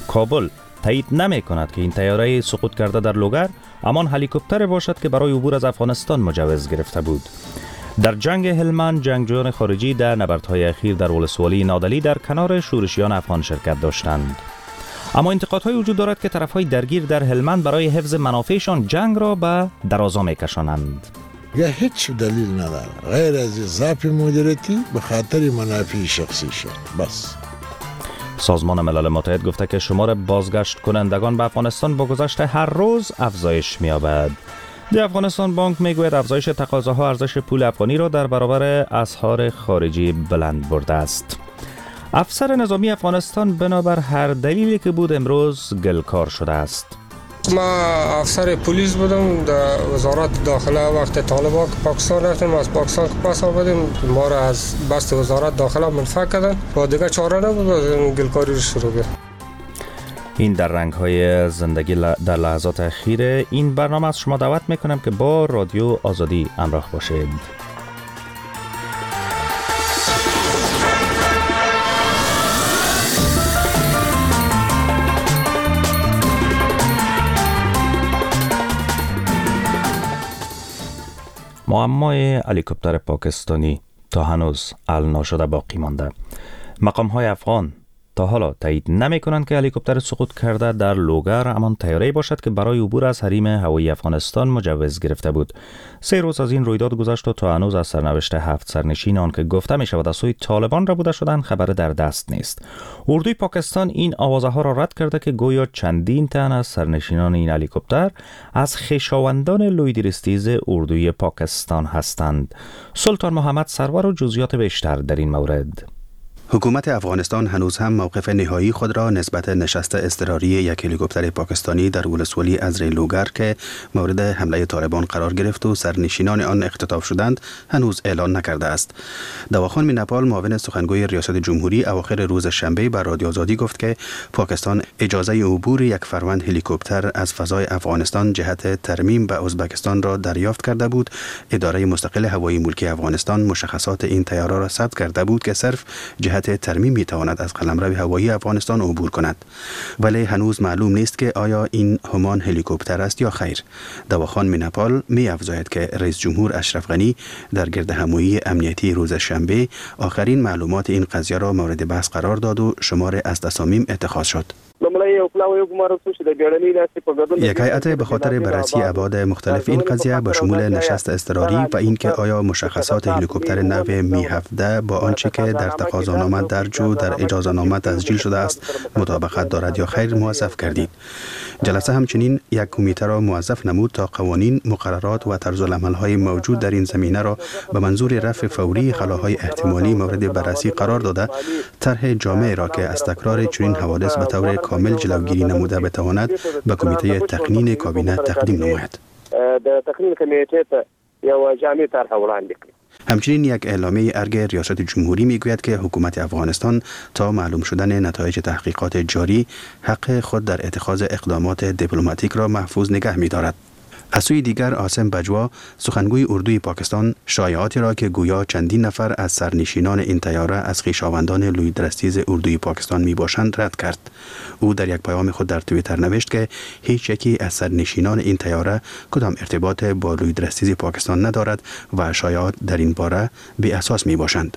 کابل تایید نمی کند که این طیاره سقوط کرده در لوگر همان هلیکوپتر باشد که برای عبور از افغانستان مجوز گرفته بود. در جنگ هلمند جنگجویان خارجی در نبردهای اخیر در ولسوالی نادعلی در کنار شورشیان افغان شرکت داشتند. اما انتقادهای وجود دارد که طرفهای درگیر در هلمند برای حفظ منافعشان جنگ را به درازا میکشانند. یا هیچ دلیل نداره غیر از ضعف مدیریتی به خاطر منافع شخصی شد. بس. سازمان ملل متحد گفته که شمار بازگشت کنندگان به افغانستان با گذشت هر روز افزایش می‌یابد. د افغانستان بانک میگوید افزایش تقاضاها ارزش پول افغانی را در برابر اسعار خارجی بلند برده است. افسر نظامی افغانستان بنابر هر دلیلی که بود امروز گلکار شده است. ما افسر پلیس بودم در وزارت داخله. وقت طالبان که پاکستان رفتیم، از پاکستان که پس آمدیم ما را از بست وزارت داخله منفک کردن و دیگه چاره نبود، گلکاری رو شروع کرد. این در رنگ های زندگی در لحظات اخیر این برنامه از شما دعوت میکنم که با رادیو آزادی همراه باشید. معمای هلیکوپتر پاکستانی تا هنوز حل ناشده باقی مانده. مقام های افغان تا حالا تایید نمی کنند که هلیکوپتر سقوط کرده در لوگر همان طیاره باشد که برای عبور از حریم هوایی افغانستان مجوز گرفته بود. سه روز از این رویداد گذشت و تا هنوز از سرنوشت هفت سرنشین آن که گفته می شود از سوی طالبان را بوده شدن خبر در دست نیست. اردوی پاکستان این آوازه ها را رد کرده که گویا چندین تن از سرنشینان این هلیکوپتر از خویشاوندان لوی درستیز اردوی پاکستان هستند. سلطان محمد سرور و جزئیات بیشتر در این مورد. حکومت افغانستان هنوز هم موقف نهایی خود را نسبت نشست اضطراری یک هلیکوپتر پاکستانی در ولسوالی ازری لوگر که مورد حمله طالبان قرار گرفت و سرنشینان آن اختطاف شدند هنوز اعلان نکرده است. دواخان مینپال معاون سخنگوی ریاست جمهوری اواخر روز شنبه بر رادیو آزادی گفت که پاکستان اجازه عبور یک فروند هلیکوپتر از فضای افغانستان جهت ترمیم به ازبکستان را دریافت کرده بود. اداره مستقل هوایی ملکی افغانستان مشخصات این طیاره را ثبت کرده بود که صرف جهت ترمیم می تواند از قلمرو هوایی افغانستان عبور کند، ولی هنوز معلوم نیست که آیا این همان هلیکوپتر است یا خیر. دواخان مینپال می افزاید که رئیس جمهور اشرف غنی در گردهمایی امنیتی روز شنبه آخرین معلومات این قضیه را مورد بحث قرار داد و شمار از تصامیم اتخاذ شد. د لومړی یو پلاوی وګمارل شو چې د بیړنۍ ناستې په ګډون یک هیئت به خاطر بررسی ابعاد مختلف این قضیه به شمول نشست اضطراری و اینکه آیا مشخصات هلیکوپتر نو می هفده با آنچه که در تقاضانامه درج و در اجازه‌نامه تسجیل شده است مطابقت دارد یا خیر موظف کردید. جلسه همچنین یک کمیته را موظف نمود تا قوانین، مقررات و طرزالعمل‌های موجود در این زمینه را به منظور رفع فوری خلاهای احتمالی مورد بررسی قرار داده، طرح جامع را که از تکرار چنین حوادث به طور کامل جلوگیری نموده بتواند به کمیته تقنین کابینه تقدیم نماید. د تقنین کمیټې ته یو جامع طرح وړاندې کړي. همچنین یک اعلامیه ارگ ریاست جمهوری میگوید که حکومت افغانستان تا معلوم شدن نتایج تحقیقات جاری حق خود در اتخاذ اقدامات دیپلماتیک را محفوظ نگه می‌دارد. از سوی دیگر عاصم بجوا، سخنگوی اردوی پاکستان، شایعاتی را که گویا چندین نفر از سرنشینان این طیاره از خویشاوندان لوی درستیز اردوی پاکستان می باشند رد کرد. او در یک پیام خود در توییتر نوشت که هیچ یکی از سرنشینان این طیاره کدام ارتباط با لوی درستیز پاکستان ندارد و شایعات در این باره بی اساس می باشند.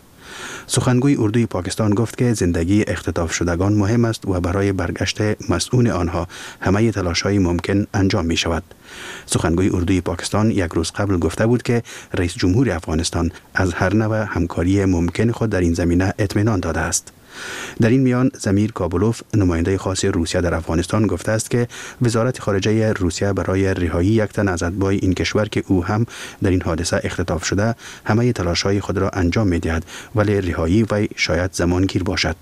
سخنگوی اردوی پاکستان گفت که زندگی اختطاف شدگان مهم است و برای برگشت مسئول آنها همه تلاش‌های ممکن انجام می شود. سخنگوی اردوی پاکستان یک روز قبل گفته بود که رئیس جمهور افغانستان از هر نوع همکاری ممکن خود در این زمینه اطمینان داده است. در این میان ضمیر کابلوف، نماینده خاص روسیه در افغانستان، گفته است که وزارت خارجه روسیه برای رهایی یک تن از اتباع این کشور که او هم در این حادثه اختطاف شده همه تلاش‌های خود را انجام می‌دهد، ولی رهایی وی شاید زمانگیر باشد.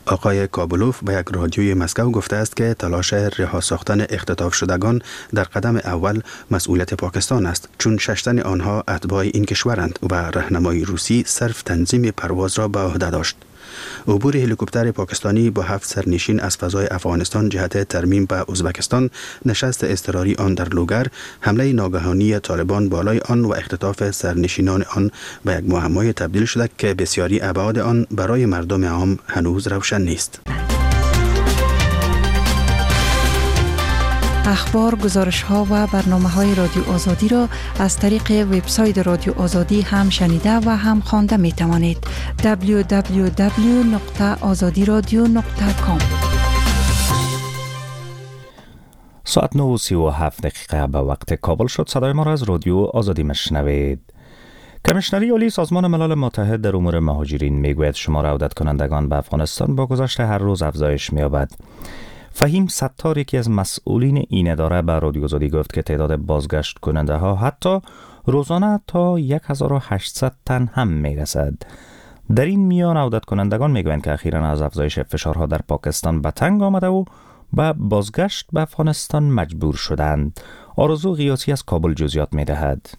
آقای کابلوف به یک رادیوی مسکو گفته است که تلاش رها ساختن اختطاف شدگان در قدم اول مسئولیت پاکستان است، چون شش تن آنها اتباع این کشورند و راهنمای روسی صرف تنظیم پرواز را به عهده داشت. عبور هلیکوپتر پاکستانی با هفت سرنشین از فضای افغانستان جهت ترمیم به ازبکستان، نشست اضطراری آن در لوگر، حمله ناگهانی طالبان بالای آن و اختطاف سرنشینان آن به یک معمای تبدیل شده که بسیاری ابعاد آن برای مردم عام هنوز روشن نیست. اخبار، گزارش ها و برنامه های رادیو آزادی را از طریق وبسایت رادیو آزادی هم شنیده و هم خوانده می توانید. دبلیو دبلیو دبلیو نقطه آزادی رادیو نقطه کام. ساعت نه و سی و هفت دقیقه به وقت کابل شد. صدای ما را از رادیو آزادی مشنوید. کمیشنری عالی سازمان ملل متحد در امور مهاجرین میگوید شمار عودت کنندگان به افغانستان با گذشت هر روز افزایش می‌یابد. فهیم ستار، یکی از مسئولین این اداره، به رادیو آزادی گفت که تعداد بازگشت کننده ها حتی روزانه تا هزار و هشتصد تن هم میرسد. در این میان عودت کنندگان میگویند که اخیراً از افزایش فشارها در پاکستان به تنگ آمده و به بازگشت به افغانستان مجبور شدند. آرزو غیاثی از کابل جزئیات میدهد.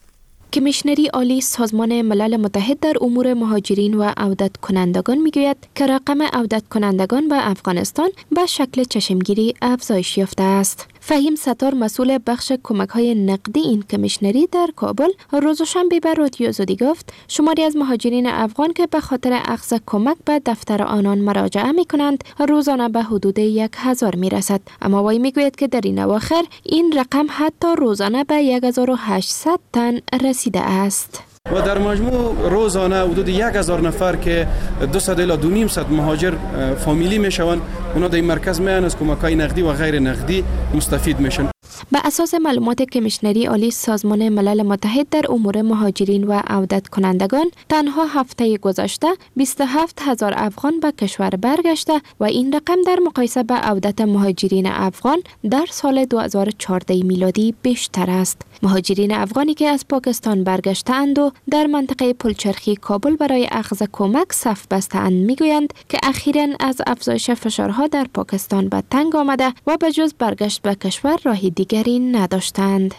کمیشنری عالی سازمان ملل متحد در امور مهاجرین و عودت کنندگان میگوید که رقم عودت کنندگان به افغانستان به شکل چشمگیری افزایش یافته است. فهیم ستار، مسئول بخش کمک‌های نقدی این کمیشنری در کابل، روز شنبه به رادیو آزادی گفت شماری از مهاجرین افغان که به خاطر اخذ کمک به دفتر آنان مراجعه می‌کنند روزانه به حدود یک هزار می‌رسد. اما وی میگوید که در این اواخر این رقم حتی روزانه به هزار و هشتصد تن رسیده است. و در مجموع روزانه حدود یک هزار نفر که دویست الی دو نیم صد مهاجر فامیلی میشوند، اونا در این مرکز میان از کمک‌های نقدی و غیر نقدی مستفید میشن. به اساس معلومات کمیشنری عالی سازمان ملل متحد در امور مهاجرین و عودت کنندگان، تنها هفته گذشته بیست و هفت هزار افغان به کشور برگشته و این رقم در مقایسه به عودت مهاجرین افغان در سال دو هزار و چهارده میلادی بیشتر است. مهاجرین افغانی که از پاکستان برگشته‌اند و در منطقه پلچرخی کابل برای اخذ کمک صف بسته‌اند میگویند که اخیراً از افزایش فشارها در پاکستان به تنگ آمده و به جز برگشت به کشور راه دیگری نداشتند.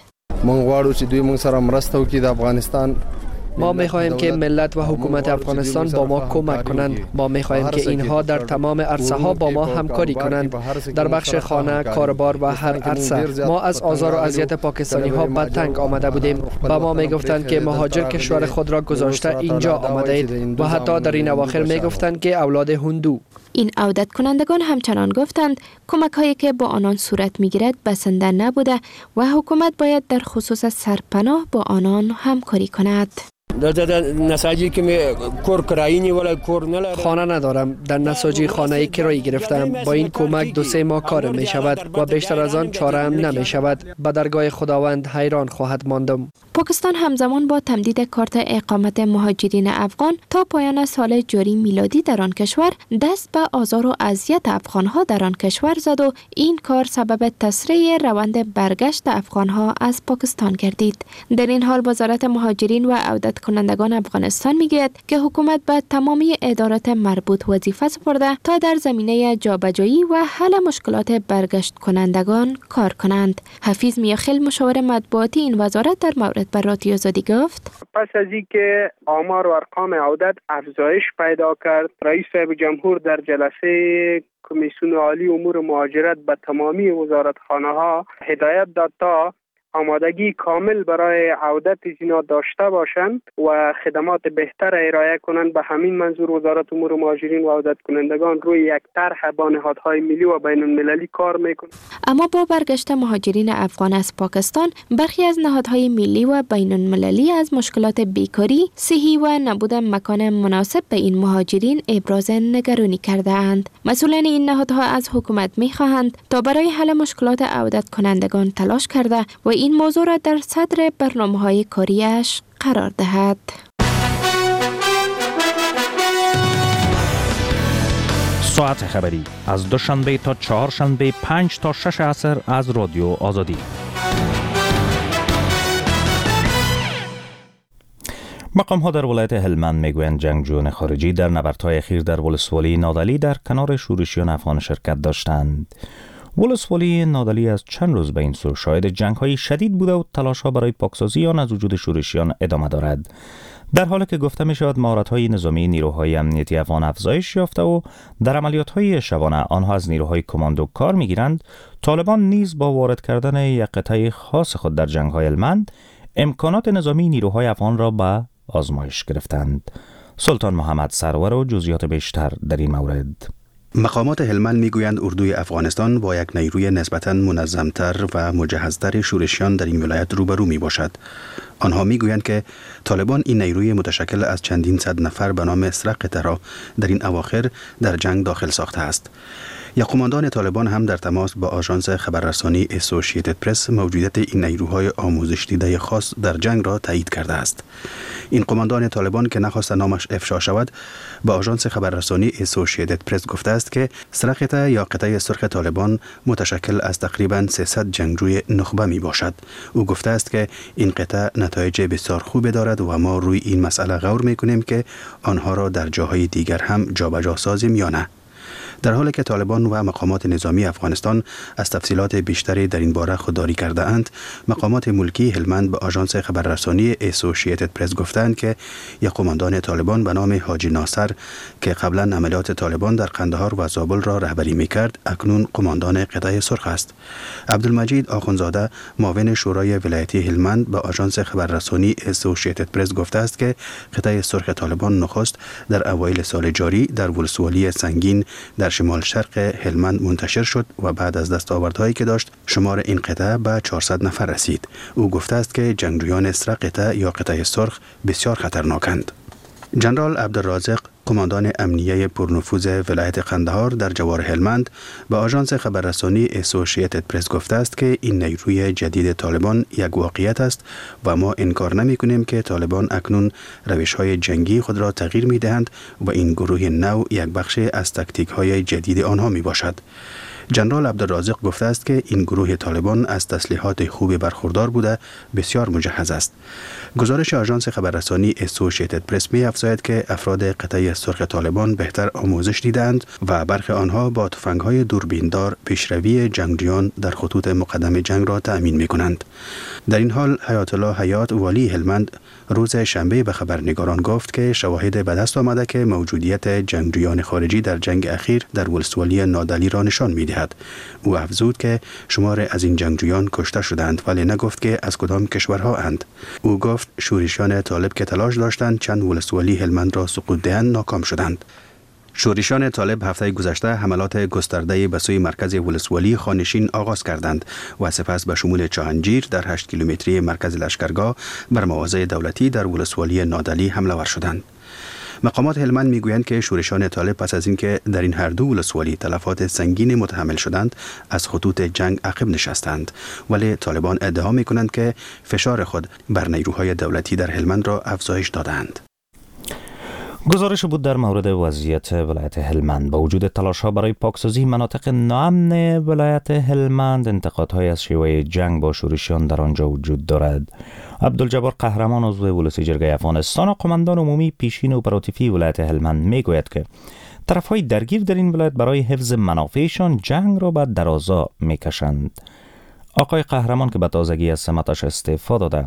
مونږ غواړو چې دوی مونږ سره مرسته وکړي د افغانستان. ما می‌خواهیم که ملت و حکومت افغانستان با ما کمک کنند. ما می‌خواهیم که اینها در تمام عرصه ها با ما همکاری کنند، در بخش خانه، کاروبار و هر عرصه. ما از آزار و اذیت پاکستانی ها به تنگ آمده بودیم. با ما می‌گفتند که مهاجر کشور خود را گذاشته اینجا آمده اید و حتی در این اواخر می‌گفتند که اولاد هندو. این عودت کنندگان همچنان گفتند کمک هایی که با آنان صورت می گیرد بسنده نبوده و حکومت باید در خصوص سرپناه با آنان همکاری کند. خانه ندارم، در نساجی خانه کرایی گرفتم. با این کمک دو سه ماه کار می شود و بیشتر از آن چاره هم نمی شود. به درگاه خداوند حیران خواهد ماندم. پاکستان همزمان با تمدید کارت اقامت مهاجرین افغان تا پایان سال جاری میلادی در آن کشور دست به آزار و اذیت افغانها در آن کشور زد و این کار سبب تسریع روند برگشت افغانها از پاکستان گردید. در این حال وزارت مهاجرین و عودت کنندگان افغانستان میگوید که حکومت به تمامی ادارات مربوط وظیفه سپرده تا در زمینه جابجایی و حل مشکلات برگشت کنندگان کار کنند. حفیظ میاخیل مشاور مطبوعاتی این وزارت در مورد بر رادیو آزادی گفت: پس از اینکه آمار و ارقام عودت افزایش پیدا کرد، رئیس صاحب جمهور در جلسه کمیسیون عالی امور مهاجرت به تمامی وزارتخانه ها هدایت داد تا آمادگی کامل برای عودت زینا داشته باشند و خدمات بهتر ارائه کنند. به همین منظور وزارت امور مهاجرین و عودت کنندگان روی یک طرح با نهادهای ملی و بین المللی کار میکنند. اما با برگشت مهاجرین افغان از پاکستان، برخی از نهادهای ملی و بین المللی از مشکلات بیکاری، صحی و نبود مکان مناسب به این مهاجرین ابراز نگرانی کرده اند. مسئولان این نهادها از حکومت میخواهند تا برای حل مشکلات عودت کنندگان تلاش کرده و این موضوع را در صدر برنامه‌های کاریش قرار دهد. ساعت خبری از دوشنبه تا چهارشنبه پنج تا شش عصر از رادیو آزادی. مقام ها در ولایت هلمند میگویند جنگجویان خارجی در نبردهای اخیر در ولسوالی نادعلی در کنار شورشیان افغان شرکت داشتند. ولسوالی نادعلی از چند روز به این سو شاهد جنگ‌های شدید بوده و تلاش‌ها برای پاکسازی آن از وجود شورشیان ادامه دارد. در حالی که گفته می شود مهارت‌های نظامی نیروهای امنیتی افغان افزایش یافته و در عملیات‌های شبانه آنها از نیروهای کماندو کار می‌گیرند، طالبان نیز با وارد کردن یک قطعه خاص خود در جنگ‌های هلمند امکانات نظامی نیروهای افغان را به آزمایش گرفتند. سلطان محمد سرور و جزئیات بیشتر در این مورد. مقامات هلمند میگویند اردوی افغانستان با یک نیروی نسبتاً منظمتر و مجهزتر شورشیان در این ولایت روبرو می باشد. آنها میگویند که طالبان این نیروی متشکل از چندین صد نفر به نام سرقته را در این اواخر در جنگ داخل ساخته است. یک قماندان طالبان هم در تماس با آژانس خبررسانی اسوسییتد پرس موجودیت این نیروهای آموزش دیده خاص در جنگ را تایید کرده است. این قماندان طالبان که نخواست نامش افشا شود با آژانس خبررسانی اسوسییتد پرس گفته است که سرقته یا قطعه سرخ طالبان متشکل از تقریباً سیصد جنگجوی نخبه می باشد. او گفته است که این قطعه نتایج بسیار خوبی دارد و ما روی این مسئله غور می کنیم که آنها را در جاهای دیگر هم جابجا سازیم یا نه. در حالی که طالبان و مقامات نظامی افغانستان از تفصیلات بیشتری در این باره خودداری کرده اند، مقامات ملکی هلمند به آژانس خبررسانی اسوسییتد پرس گفتند که یک قماندان طالبان به نام حاجی ناصر که قبلا عملیات طالبان در قندهار و زابل را رهبری می‌کرد، اکنون قماندان قطعه سرخ است. عبدالمجید آخوندزاده معاون شورای ولایتی هلمند به آژانس خبررسانی اسوسییتد پرس گفته است که قطعه سرخ طالبان نخست در اوایل سال جاری در ولسوالی سنگین در شمال شرق هلمند منتشر شد و بعد از دستاوردهایی که داشت شمار این قطعه به چهارصد نفر رسید. او گفته است که جنگجویان سر قطعه یا قطعه سرخ بسیار خطرناکند. جنرال عبدالرازق قماندان امنیه پرنفوذ ولایت قندهار در جوار هلمند به آژانس خبررسانی اسوسییتد پرس گفته است که این نیروی جدید طالبان یک واقعیت است و ما انکار نمی کنیم که طالبان اکنون روش‌های جنگی خود را تغییر می دهند و این گروه نو یک بخش از تکتیک‌های جدید آنها می باشد. جنرال عبدالرازق گفته است که این گروه طالبان از تسلیحات خوبی برخوردار بوده، بسیار مجهز است. گزارش آژانس خبررسانی اسوسییتد پرس می افزاید که افراد قطعه سرخ طالبان بهتر آموزش دیدند و برخی آنها با تفنگ‌های دوربیندار پیشروی جنگجویان در خطوط مقدم جنگ را تأمین می کنند. در این حال حیات الله حیات والی هلمند روز شنبه به خبرنگاران گفت که شواهد به دست آمده که موجودیت جنگجویان خارجی در جنگ اخیر در ولسوالی نادعلی را نشان می‌دهد. او افزود که شمار از این جنگجویان کشته شدند ولی نگفت که از کدام کشورها اند. او گفت شورشیان طالب که تلاش داشتند چند ولسوالی هلمند را سقوط دهند ناکام شدند. شورشیان طالب هفته گذشته حملات گسترده به سوی مرکز ولسوالی خانشین آغاز کردند و سپس به شمول چاهنجیر در هشت کیلومتری مرکز لشکرگاه بر مواضع دولتی در ولسوالی نادلی حمله ور شدند. مقامات هلمند میگویند که شورشیان طالب پس از اینکه در این هر دو ولسوالی تلفات سنگین متحمل شدند از خطوط جنگ عقب نشستند، ولی طالبان ادعا میکنند که فشار خود بر نیروهای دولتی در هلمند را افزایش دادند. گزارش بود در مورد وضعیت ولایت هلمند. با وجود تلاش‌ها برای پاکسازی مناطق ناامن ولایت هلمند، انتقادهای از شیوه جنگ با شورشیان در آنجا وجود دارد. عبدالجبار قهرمان، عضو ولسی جرگه افغانستان و قماندان عمومی پیشین اپراتیفی ولایت هلمند، میگوید که طرف‌های درگیر در این ولایت برای حفظ منافعشان جنگ را به درازا میکشند. آقای قهرمان که به تازگی از سمتش استعفا داده،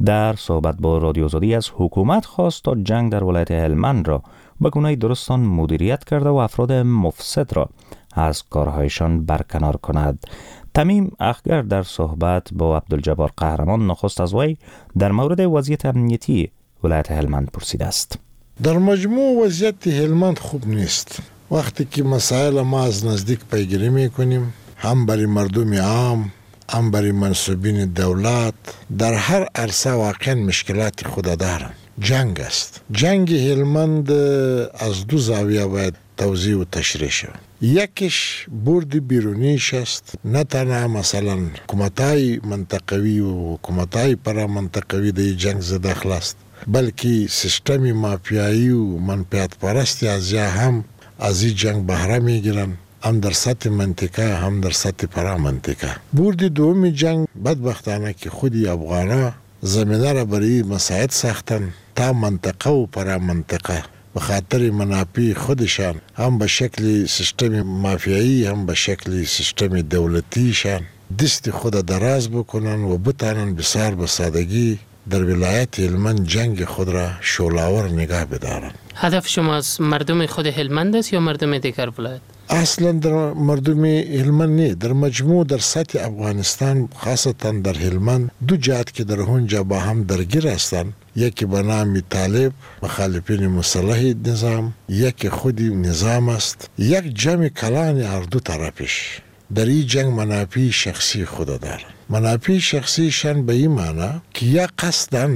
در صحبت با رادیو آزادی از حکومت خواست تا جنگ در ولایت هلمند را به گونه درستان مدیریت کرده و افراد مفسد را از کارهایشان برکنار کند. تمیم اخگر در صحبت با عبدالجبار قهرمان نخست از وی در مورد وضعیت امنیتی ولایت هلمند پرسیده است. در مجموع وضعیت هلمند خوب نیست. وقتی که مسائل ما از نزدیک پیگیری میکنیم، هم برای مردم عام هم برای منسوبین دولت، در هر عرصه واقعا مشکلات خود دارند. جنگ است. جنگ هلمند از دو زاویه باید توضیح و تشریح شود. یکیش برد بیرونیش است. نه تنها مثلا حکومت‌های منطقوی و حکومت‌های پرامنطقوی در جنگ زداخل است، بلکه سیستم مافیایی و منفعت پرستی از هم از این جنگ بهره میگیرند، هم در سطح منطقه هم در سطح پرامنطقه. برد دوم جنگ بدبختانه که خودی افغانا زمینه را برای مساعد ساختن تا منطقه و پرامنطقه به خاطر منافع خودشان، هم به شکل سیستم مافیایی هم به شکل سیستم دولتیشان دست خود دراز بکنن و بتانن بسیار به سادگی در ولایت هلمند جنگ خود را شعله‌آور نگاه بدارند. هدف شما از مردم خود هلمند است یا مردم دیگر ولایت؟ اصلا در مردم هلمند نه، در مجموع در سطح افغانستان خاصتا در هلمند دو جهت که در اونجا با هم درگیر هستند، یکی به نام طالب مخالفین مسلح نظام، یکی خود نظام است. یک جمع کلان هر دو طرفش در این جنگ منافع شخصی خود دارند. منافع شخصیشان به این معنی که یا قصداً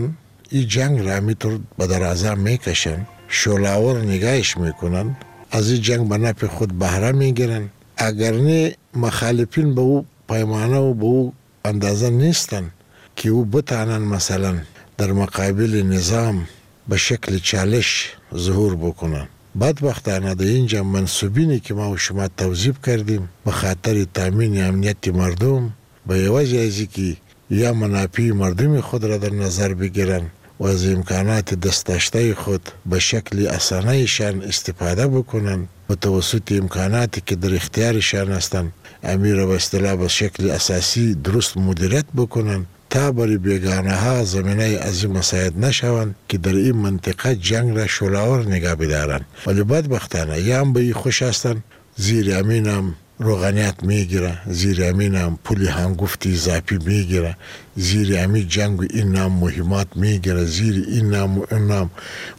این جنگ را میتر به درازا میکشن، شعله‌آور نگاهش میکنن، از این جنگ به نفع خود بهره میگیرن. اگر نه مخالفین به او پیمانه و به او اندازه نیستن که او بتانن مثلا در مقابل نظام به شکل چالش ظهور بکنن. بدبختانه در اینجا منسوبینی که ما و شما توظیف کردیم به خاطر تامین امنیت مردم، به عوض از که یا منافع مردم خود را در نظر بگیرن و از امکانات دست داشته خود به شکل اسانهشان استفاده بکنن و توسط امکاناتی که در اختیارشان هستند امیر به اصطلاح به شکل اساسی درست مدیریت بکنن تا برای بیگانه ها زمینه از این مساعد نشوند که در این منطقه جنگ را شعله‌آور نگاه بدارند. ولی بدبختانه یا هم به این خوش هستند، زیر امین هم روغنیت میگیره، زیر امین هم پول هنگفت اضافی میگیره، زیر امین جنگ و این نام مهمات میگیره، زیر این نام و این نام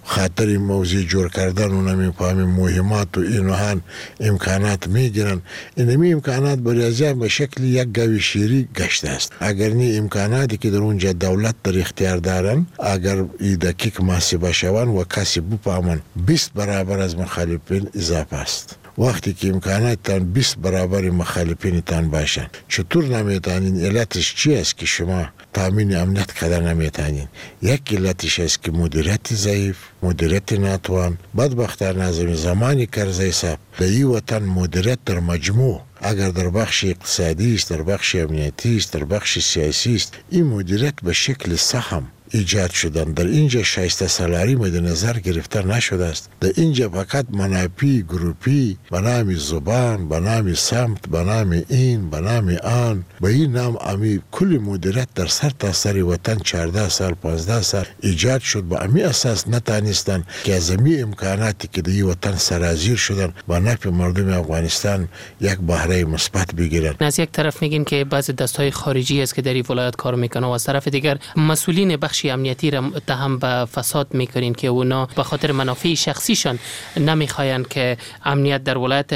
خاطر موضوع جور کردن و نمیفهمیم مهمات و این و هن امکانات میگیرن. این امی امکانات برای از به شکل یک گاوی شیری گشته است. اگر نی امکاناتی که در اونجا دولت در اختیار دارن، اگر ای دقیق محاسبه شوند و کسی بفهمن، بیست برابر از مخالفین اضافه است. وقتی که امکاناتتان بیست برابر مخالفینتان باشند، چطور نمیتانین؟ علتش چی است که شما تامین امنیت کده نمیتانین؟ یک علتش است که مدیریت ضعیف، مدیریت ناتوان. بدبختانه از زمان کرزی صاحب در این وطن مدیریت در مجموع، اگر در بخش اقتصادی است، در بخش امنیتی است، در بخش سیاسی است، این مدیریت به شکل سهم ایجاد شدن. در اینجا شایسته سالاری مد نظر گرفته نشده است. در اینجا فقط منافع گروپی به نام زبان، به نام سمت، به نام این، به نام آن، به این نام امی کل مدیریت در سر تا سر وطن چهارده سال پانزده سال ایجاد شد. به امی اساس نتانستند که از امی امکاناتی که در این وطن سرازیر شدن به نفع مردم افغانستان یک بهره مثبت بگیرند. از یک طرف میگین که بعضی دستهای خارجی است که در این ولایت کار میکنه و از طرف دیگر مسئولین بخش بخش امنیتی را متهم به فساد میکنین که اونا به خاطر منافع شخصیشان نمیخواین که امنیت در ولایت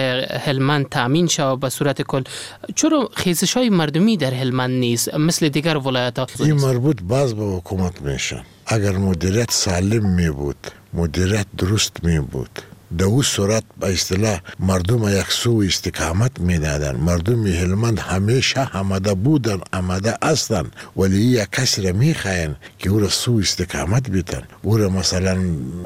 هلمند تامین شود به صورت کل، چرا خیزش های مردمی در هلمند نیست مثل دیگر ولایت ها؟ این مربوط باز به حکومت میشن. اگر مدیریت سالم می بود، مدیریت درست می بود، در او صورت به اصطلاح مردم یک سو استقامت میدادن. مردم هلمند همیشه آماده بودن، آماده هستند، ولی یک کسی را میخواین که او را سو استقامت بیتن، او را مثلا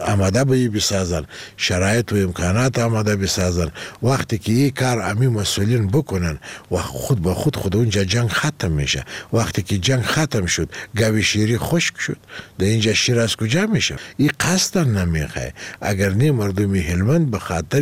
آماده به بسازن، شرایط و امکانات آماده بسازن. وقتی که این کار امی مسئولین بکنن و خود به خود خود اونجا جنگ ختم میشه. وقتی که جنگ ختم شد، گاوی شیری خشک شد، در اینجا شیر از کجا میشه؟ این قصدا نمیخواه. اگر نه مردم هلمند به خاطر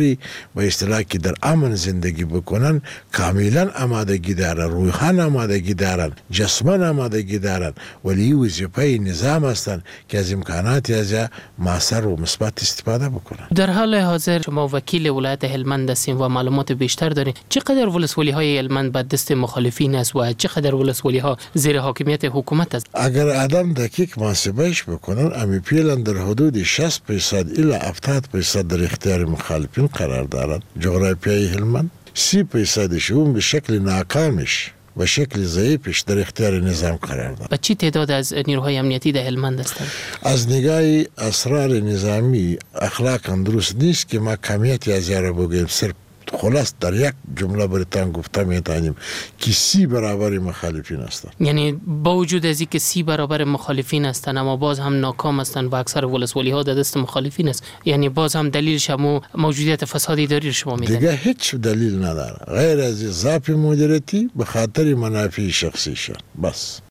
به اصطلاح که در امن زندگی بکنن کاملا آمادگی دارن، روحاً آمادگی دارن، جسما آمادگی دارن، ولی وظیفه نظام هستند که از امکانات از موثر و مثبت استفاده بکنن. در حال حاضر شما وکیل ولایت هلمند هستین و معلومات بیشتر دارین، چقدر ولسوالی های هلمند به دست مخالفین است و چقدر ولسوالی ها زیر حاکمیت حکومت است؟ اگر آدم دقیق محاسبهش بکنن، امی فعلا در حدود شصت درصد الی هفتاد درصد در اختیار مخالفین قرار دارد. جغرافیای هلمند سی درصدش اون به شکل ناکامش و شکل ضعیفش در اختیار نظام قرار دارد. به چی تعداد از نیروهای امنیتی در هلمند هستند؟ از نگاه اسرار نظامی اخلاقا درست نیست که ما کمیت از یارا بگوییم. صرف خلاص در یک جمله براتان گفته میتونیم که سی برابر مخالفین هستند. یعنی با وجود از اینکه سی برابر مخالفین هستند، اما باز هم ناکام هستند و اکثر ولسوالی ها در دست مخالفین است. یعنی باز هم دلیلش هم موجودیت فساد اداری شما میدن. دیگه هیچ دلیل نداره غیر از ضعف مدیریتی به خاطر منافع شخصیشان. بس.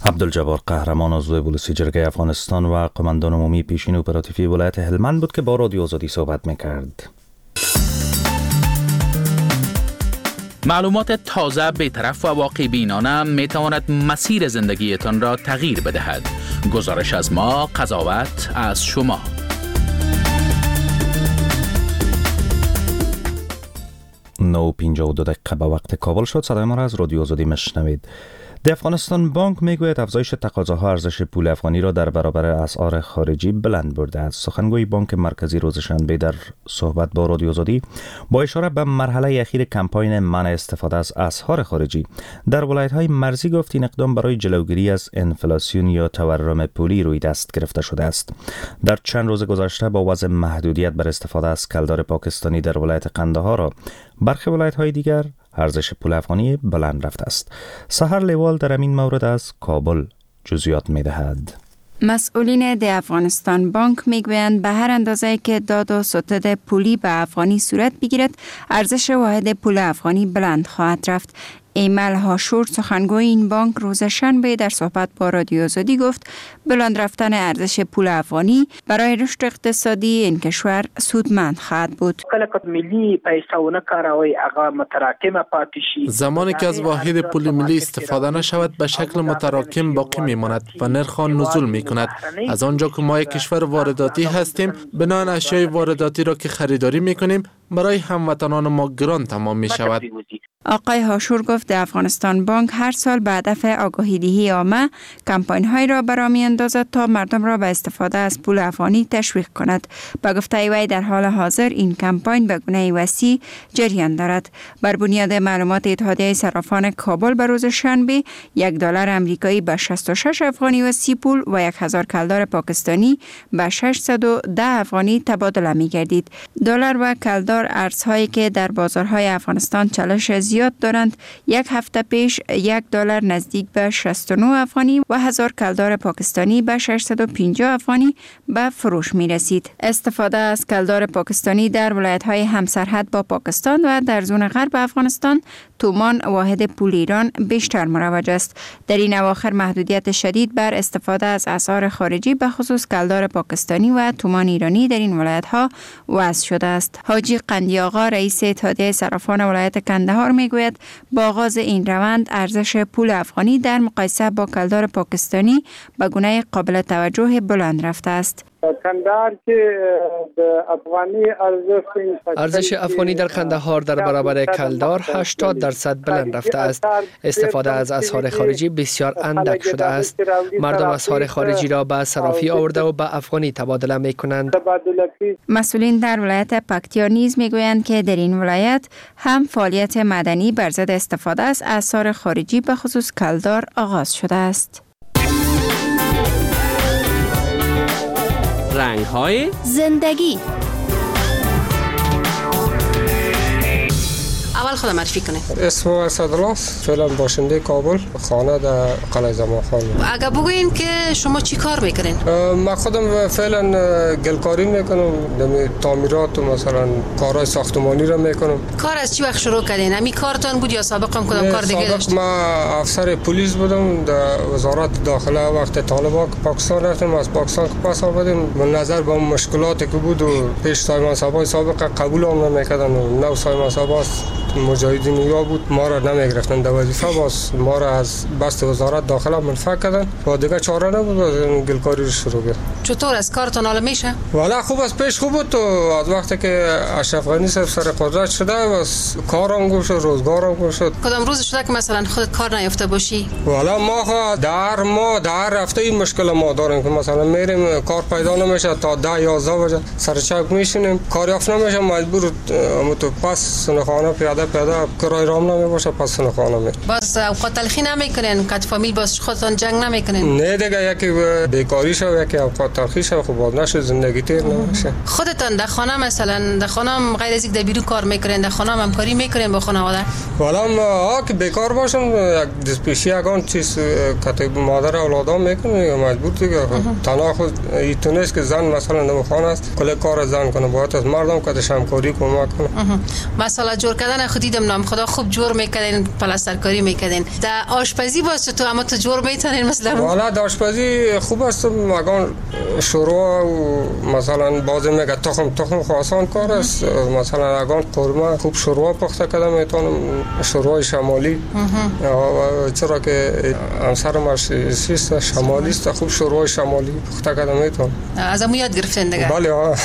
عبدالجبار قهرمان عضو ولسی جرگه افغانستان و قماندان عمومی پیشین اپراتیوی ولایت هلمند بود که با رادیو آزادی صحبت میکرد. معلومات تازه، بی‌طرف و واقع بینانه می تواند مسیر زندگیتان را تغییر بدهد. گزارش از ما، قضاوت از شما. نه و پنجاه و دو دقیقه به وقت کابل شد. صدای ما را از رادیو آزادی میشنوید. د افغانستان بانک میگوید افزایش تقاضاها ارزش پول افغانی را در برابر اسعار خارجی بلند برده است. سخنگوی بانک مرکزی روز شنبه در صحبت با رادیو آزادی با اشاره به مرحله اخیر کمپاین منع استفاده از اسعار خارجی در ولایت‌های مرزی گفت این اقدام برای جلوگیری از انفلاسیون یا تورم پولی روی دست گرفته شده است. در چند روز گذشته با وضع محدودیت بر استفاده از کلدار پاکستانی در ولایت قندهار را برخی ولایت‌های دیگر ارزش پول افغانی بلند رفته است. سحر لیوال در این مورد از کابل جزئیات می‌دهد. مسئولین د افغانستان بانک میگویند به هر اندازه که داد و ستد پولی به افغانی صورت بگیرد، ارزش واحد پول افغانی بلند خواهد رفت. ایمل هاشور سخنگوی این بانک روز شنبه در صحبت با رادیو آزادی گفت بلند رفتن ارزش پول افغانی برای رشد اقتصادی این کشور سودمند خواهد بود. زمانی که از واحد پول ملی استفاده نشود به شکل متراکم باقی میماند و نرخ آن نزول میکند. از آنجا که ما یک کشور وارداتی هستیم، بنابراین اشیای وارداتی را که خریداری میکنیم برای هموطنان ما گران تمام می شود. آقای هاشور گفت افغانستان بانک هر سال به هدف آگاهی دهی عامه کمپاین های را برا می اندازد تا مردم را به استفاده از پول افغانی تشویق کند. به گفته وی در حال حاضر این کمپاین به گونه وسیع جریان دارد. بر بنیاد معلومات اتحادیه صرافان کابل به روز شنبه یک دلار امریکایی به شصت و شش افغانی و سی پول و یک هزار کلدار پاکستانی به ششصد و ده افغانی تبادله می گردید. دلار و کلدار ارزهایی که در بازارهای افغانستان چالش زیاد دارند، یک هفته پیش یک دلار نزدیک به شصت و نه افغانی و هزار کلدار پاکستانی به ششصد و پنجاه افغانی به فروش می رسید. استفاده از کلدار پاکستانی در ولایت‌های همسرحد با پاکستان و در زون غرب افغانستان تومان واحد پول ایران بیشتر مروج است. در این اواخر محدودیت شدید بر استفاده از اسعار خارجی به خصوص کلدار پاکستانی و تومان ایرانی در این ولایت‌ها وضع شده است. حاجی قندی آقا رئیس اتحادیه صرافان ولایت کندهار میگوید با آغاز این روند ارزش پول افغانی در مقایسه با کلدار پاکستانی به گونه قابل توجه بلند رفته است. کندهار کې د افغانی ارزش ارزش افغانی در قندهار در برابر کلدار هشتاد درصد بلند رفته است. استفاده از اسعار خارجی بسیار اندک شده است. مردم اسعار خارجی را به صرافی آورده و به افغانی تبادله می کنند. مسئولین در ولایت پکتیا نیز میگویند که در این ولایت هم فعالیت مدنی بر ضد استفاده از اسعار خارجی به خصوص کلدار آغاز شده است. رنگ های زندگی. اول خودم معرفی کنه. اسم اسدالله، فعلا باشنده کابل، خانه در قلعه زمان خان. اگه بگوین که شما چی کار میکنین؟ من خودم فعلا گلکاری میکنم، تعمیرات و مثلا کارهای ساختمانی رو میکنم. کار از چی وقت شروع کردین؟ همین کارتان بود یا سابقا کدام کار دیگه داشتین؟ سابق من افسر پلیس بودم در وزارت داخله. وقت طالبان پاکستان رفتم، از پاکستان که پس آمدیم نظر به مشکلاتی که بود و پیش سایمان صاحبای سابق قبول هم نمیکردن و نو سایمان صاحب مجاهدین یا بود ما را نمیگرفتن در وظیفه، باز ما را از بست وزارت داخله منفک کردن و دیگه چاره نبود، باز گلکاری رو شروع کرد. چطور از کارتان حالا میشه؟ والا خوب از پیش خوب بود. تو از وقتی که اشرف غنی صاحب سر قدرت شده باز کارم گم شد، روزگارم گم شد. کدام روز شده که مثلا خودت کار نیافته باشی؟ والا ما خو در ما در هفته این مشکل ما داریم که مثلا میریم کار پیدا نمیشه، تا ده یازده بجه سر چوک میشینیم کار یافت نمیشه، مجبور تو پس خانه پیاده پیاده کرای رام نمی باشه پس خانه می. باز اوقات تلخی نمیکنین؟ کت فامیل باز خودتون جنگ نمیکنین؟ نه دیگه، یکی بیکاری شو یکی اوقات تلخی شو، خب باز نشه زندگی تیر نمیشه. خودتون در خانه مثلا در خانه غیر از اینکه در بیرون کار میکنین، در خانه همکاری میکنین با خانواده؟ والا ما که بیکار باشم یک دست پیشی یگان چیز کت مادر اولادام میکنه مجبور دیگه. تنها خود ایتونست که زن مثلا در خانه است کل کار زن کنه، باید از مردم کتش همکاری کمک کنه. مثلا جور کردن خود دیدم نام خدا خوب جور میکردین، پلاسترکاری میکردین. در آشپزی باز تو اما تو جور میتونین مثلا؟ والا در آشپزی خوب است، مگان شوروا و مثلا باز میگه تخم تخم خو آسان کار است. مثلا اگان قورمه خوب شوروا پخته کردم میتونم، شوروای شمالی، چرا که همسرم سیست شمالی است، خوب شوروای شمالی پخته کردم میتونم. از امو یاد گرفتین دیگه؟ بله.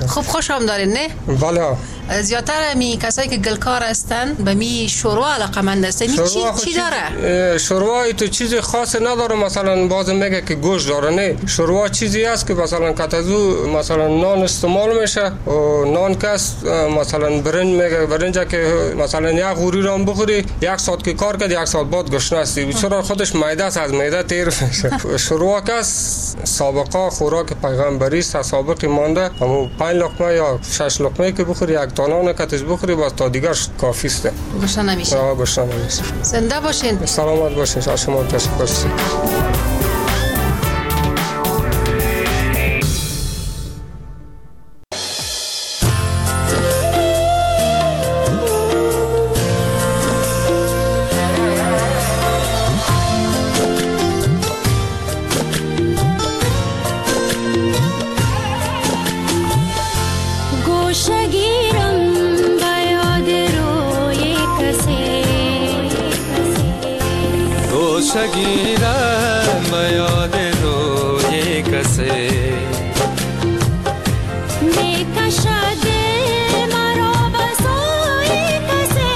خوب خوش هم دارین نه؟ بله. زیادتر می کسایی که گلکار هستن به می شوروا علاقه‌مند هستن. چی چی داره؟ شوروا تو چیز خاص نداره، مثلا باز میگه که گوشت داره، نه شوروا چیزی است که مثلا کتزو مثلا نان استعمال میشه و نان کس مثلا برنج میگه، برنج که مثلا یک غوری رو هم بخوری یک ساعت که کار کرد یک ساعت بعد گشنه هستی، چرا خودش معده است، از معده تیر میشه. شوروا کس سابقا خوراک پیغمبری است، سابق مانده، همون پنج لقمه یا شش لقمه که بخوری یک نان کتش بخوری باز تا دیگر کافی است. گشنه نمیشه. آه گشنه نمیشه. زنده باشین. سلامت باشین. از شما تشکر. گیرم به یاد روی کسی می کشد دل مرا به سوی کسی،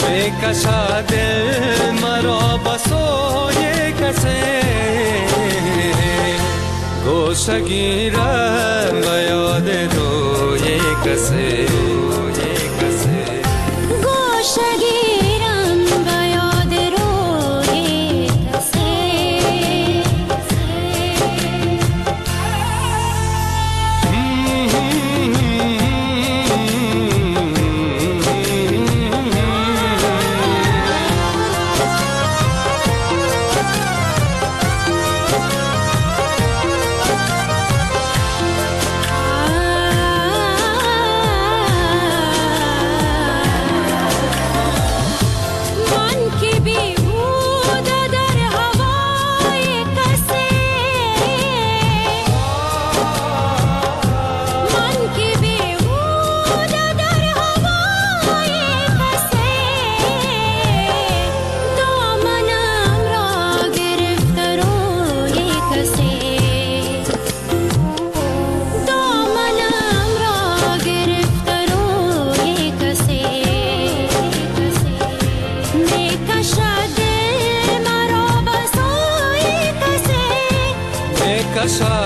می کشد دل مرا به سوی کسی، گوشه گیرم به یاد روی کسی، گوشه گیرم به یاد روی کسی. آه میکشد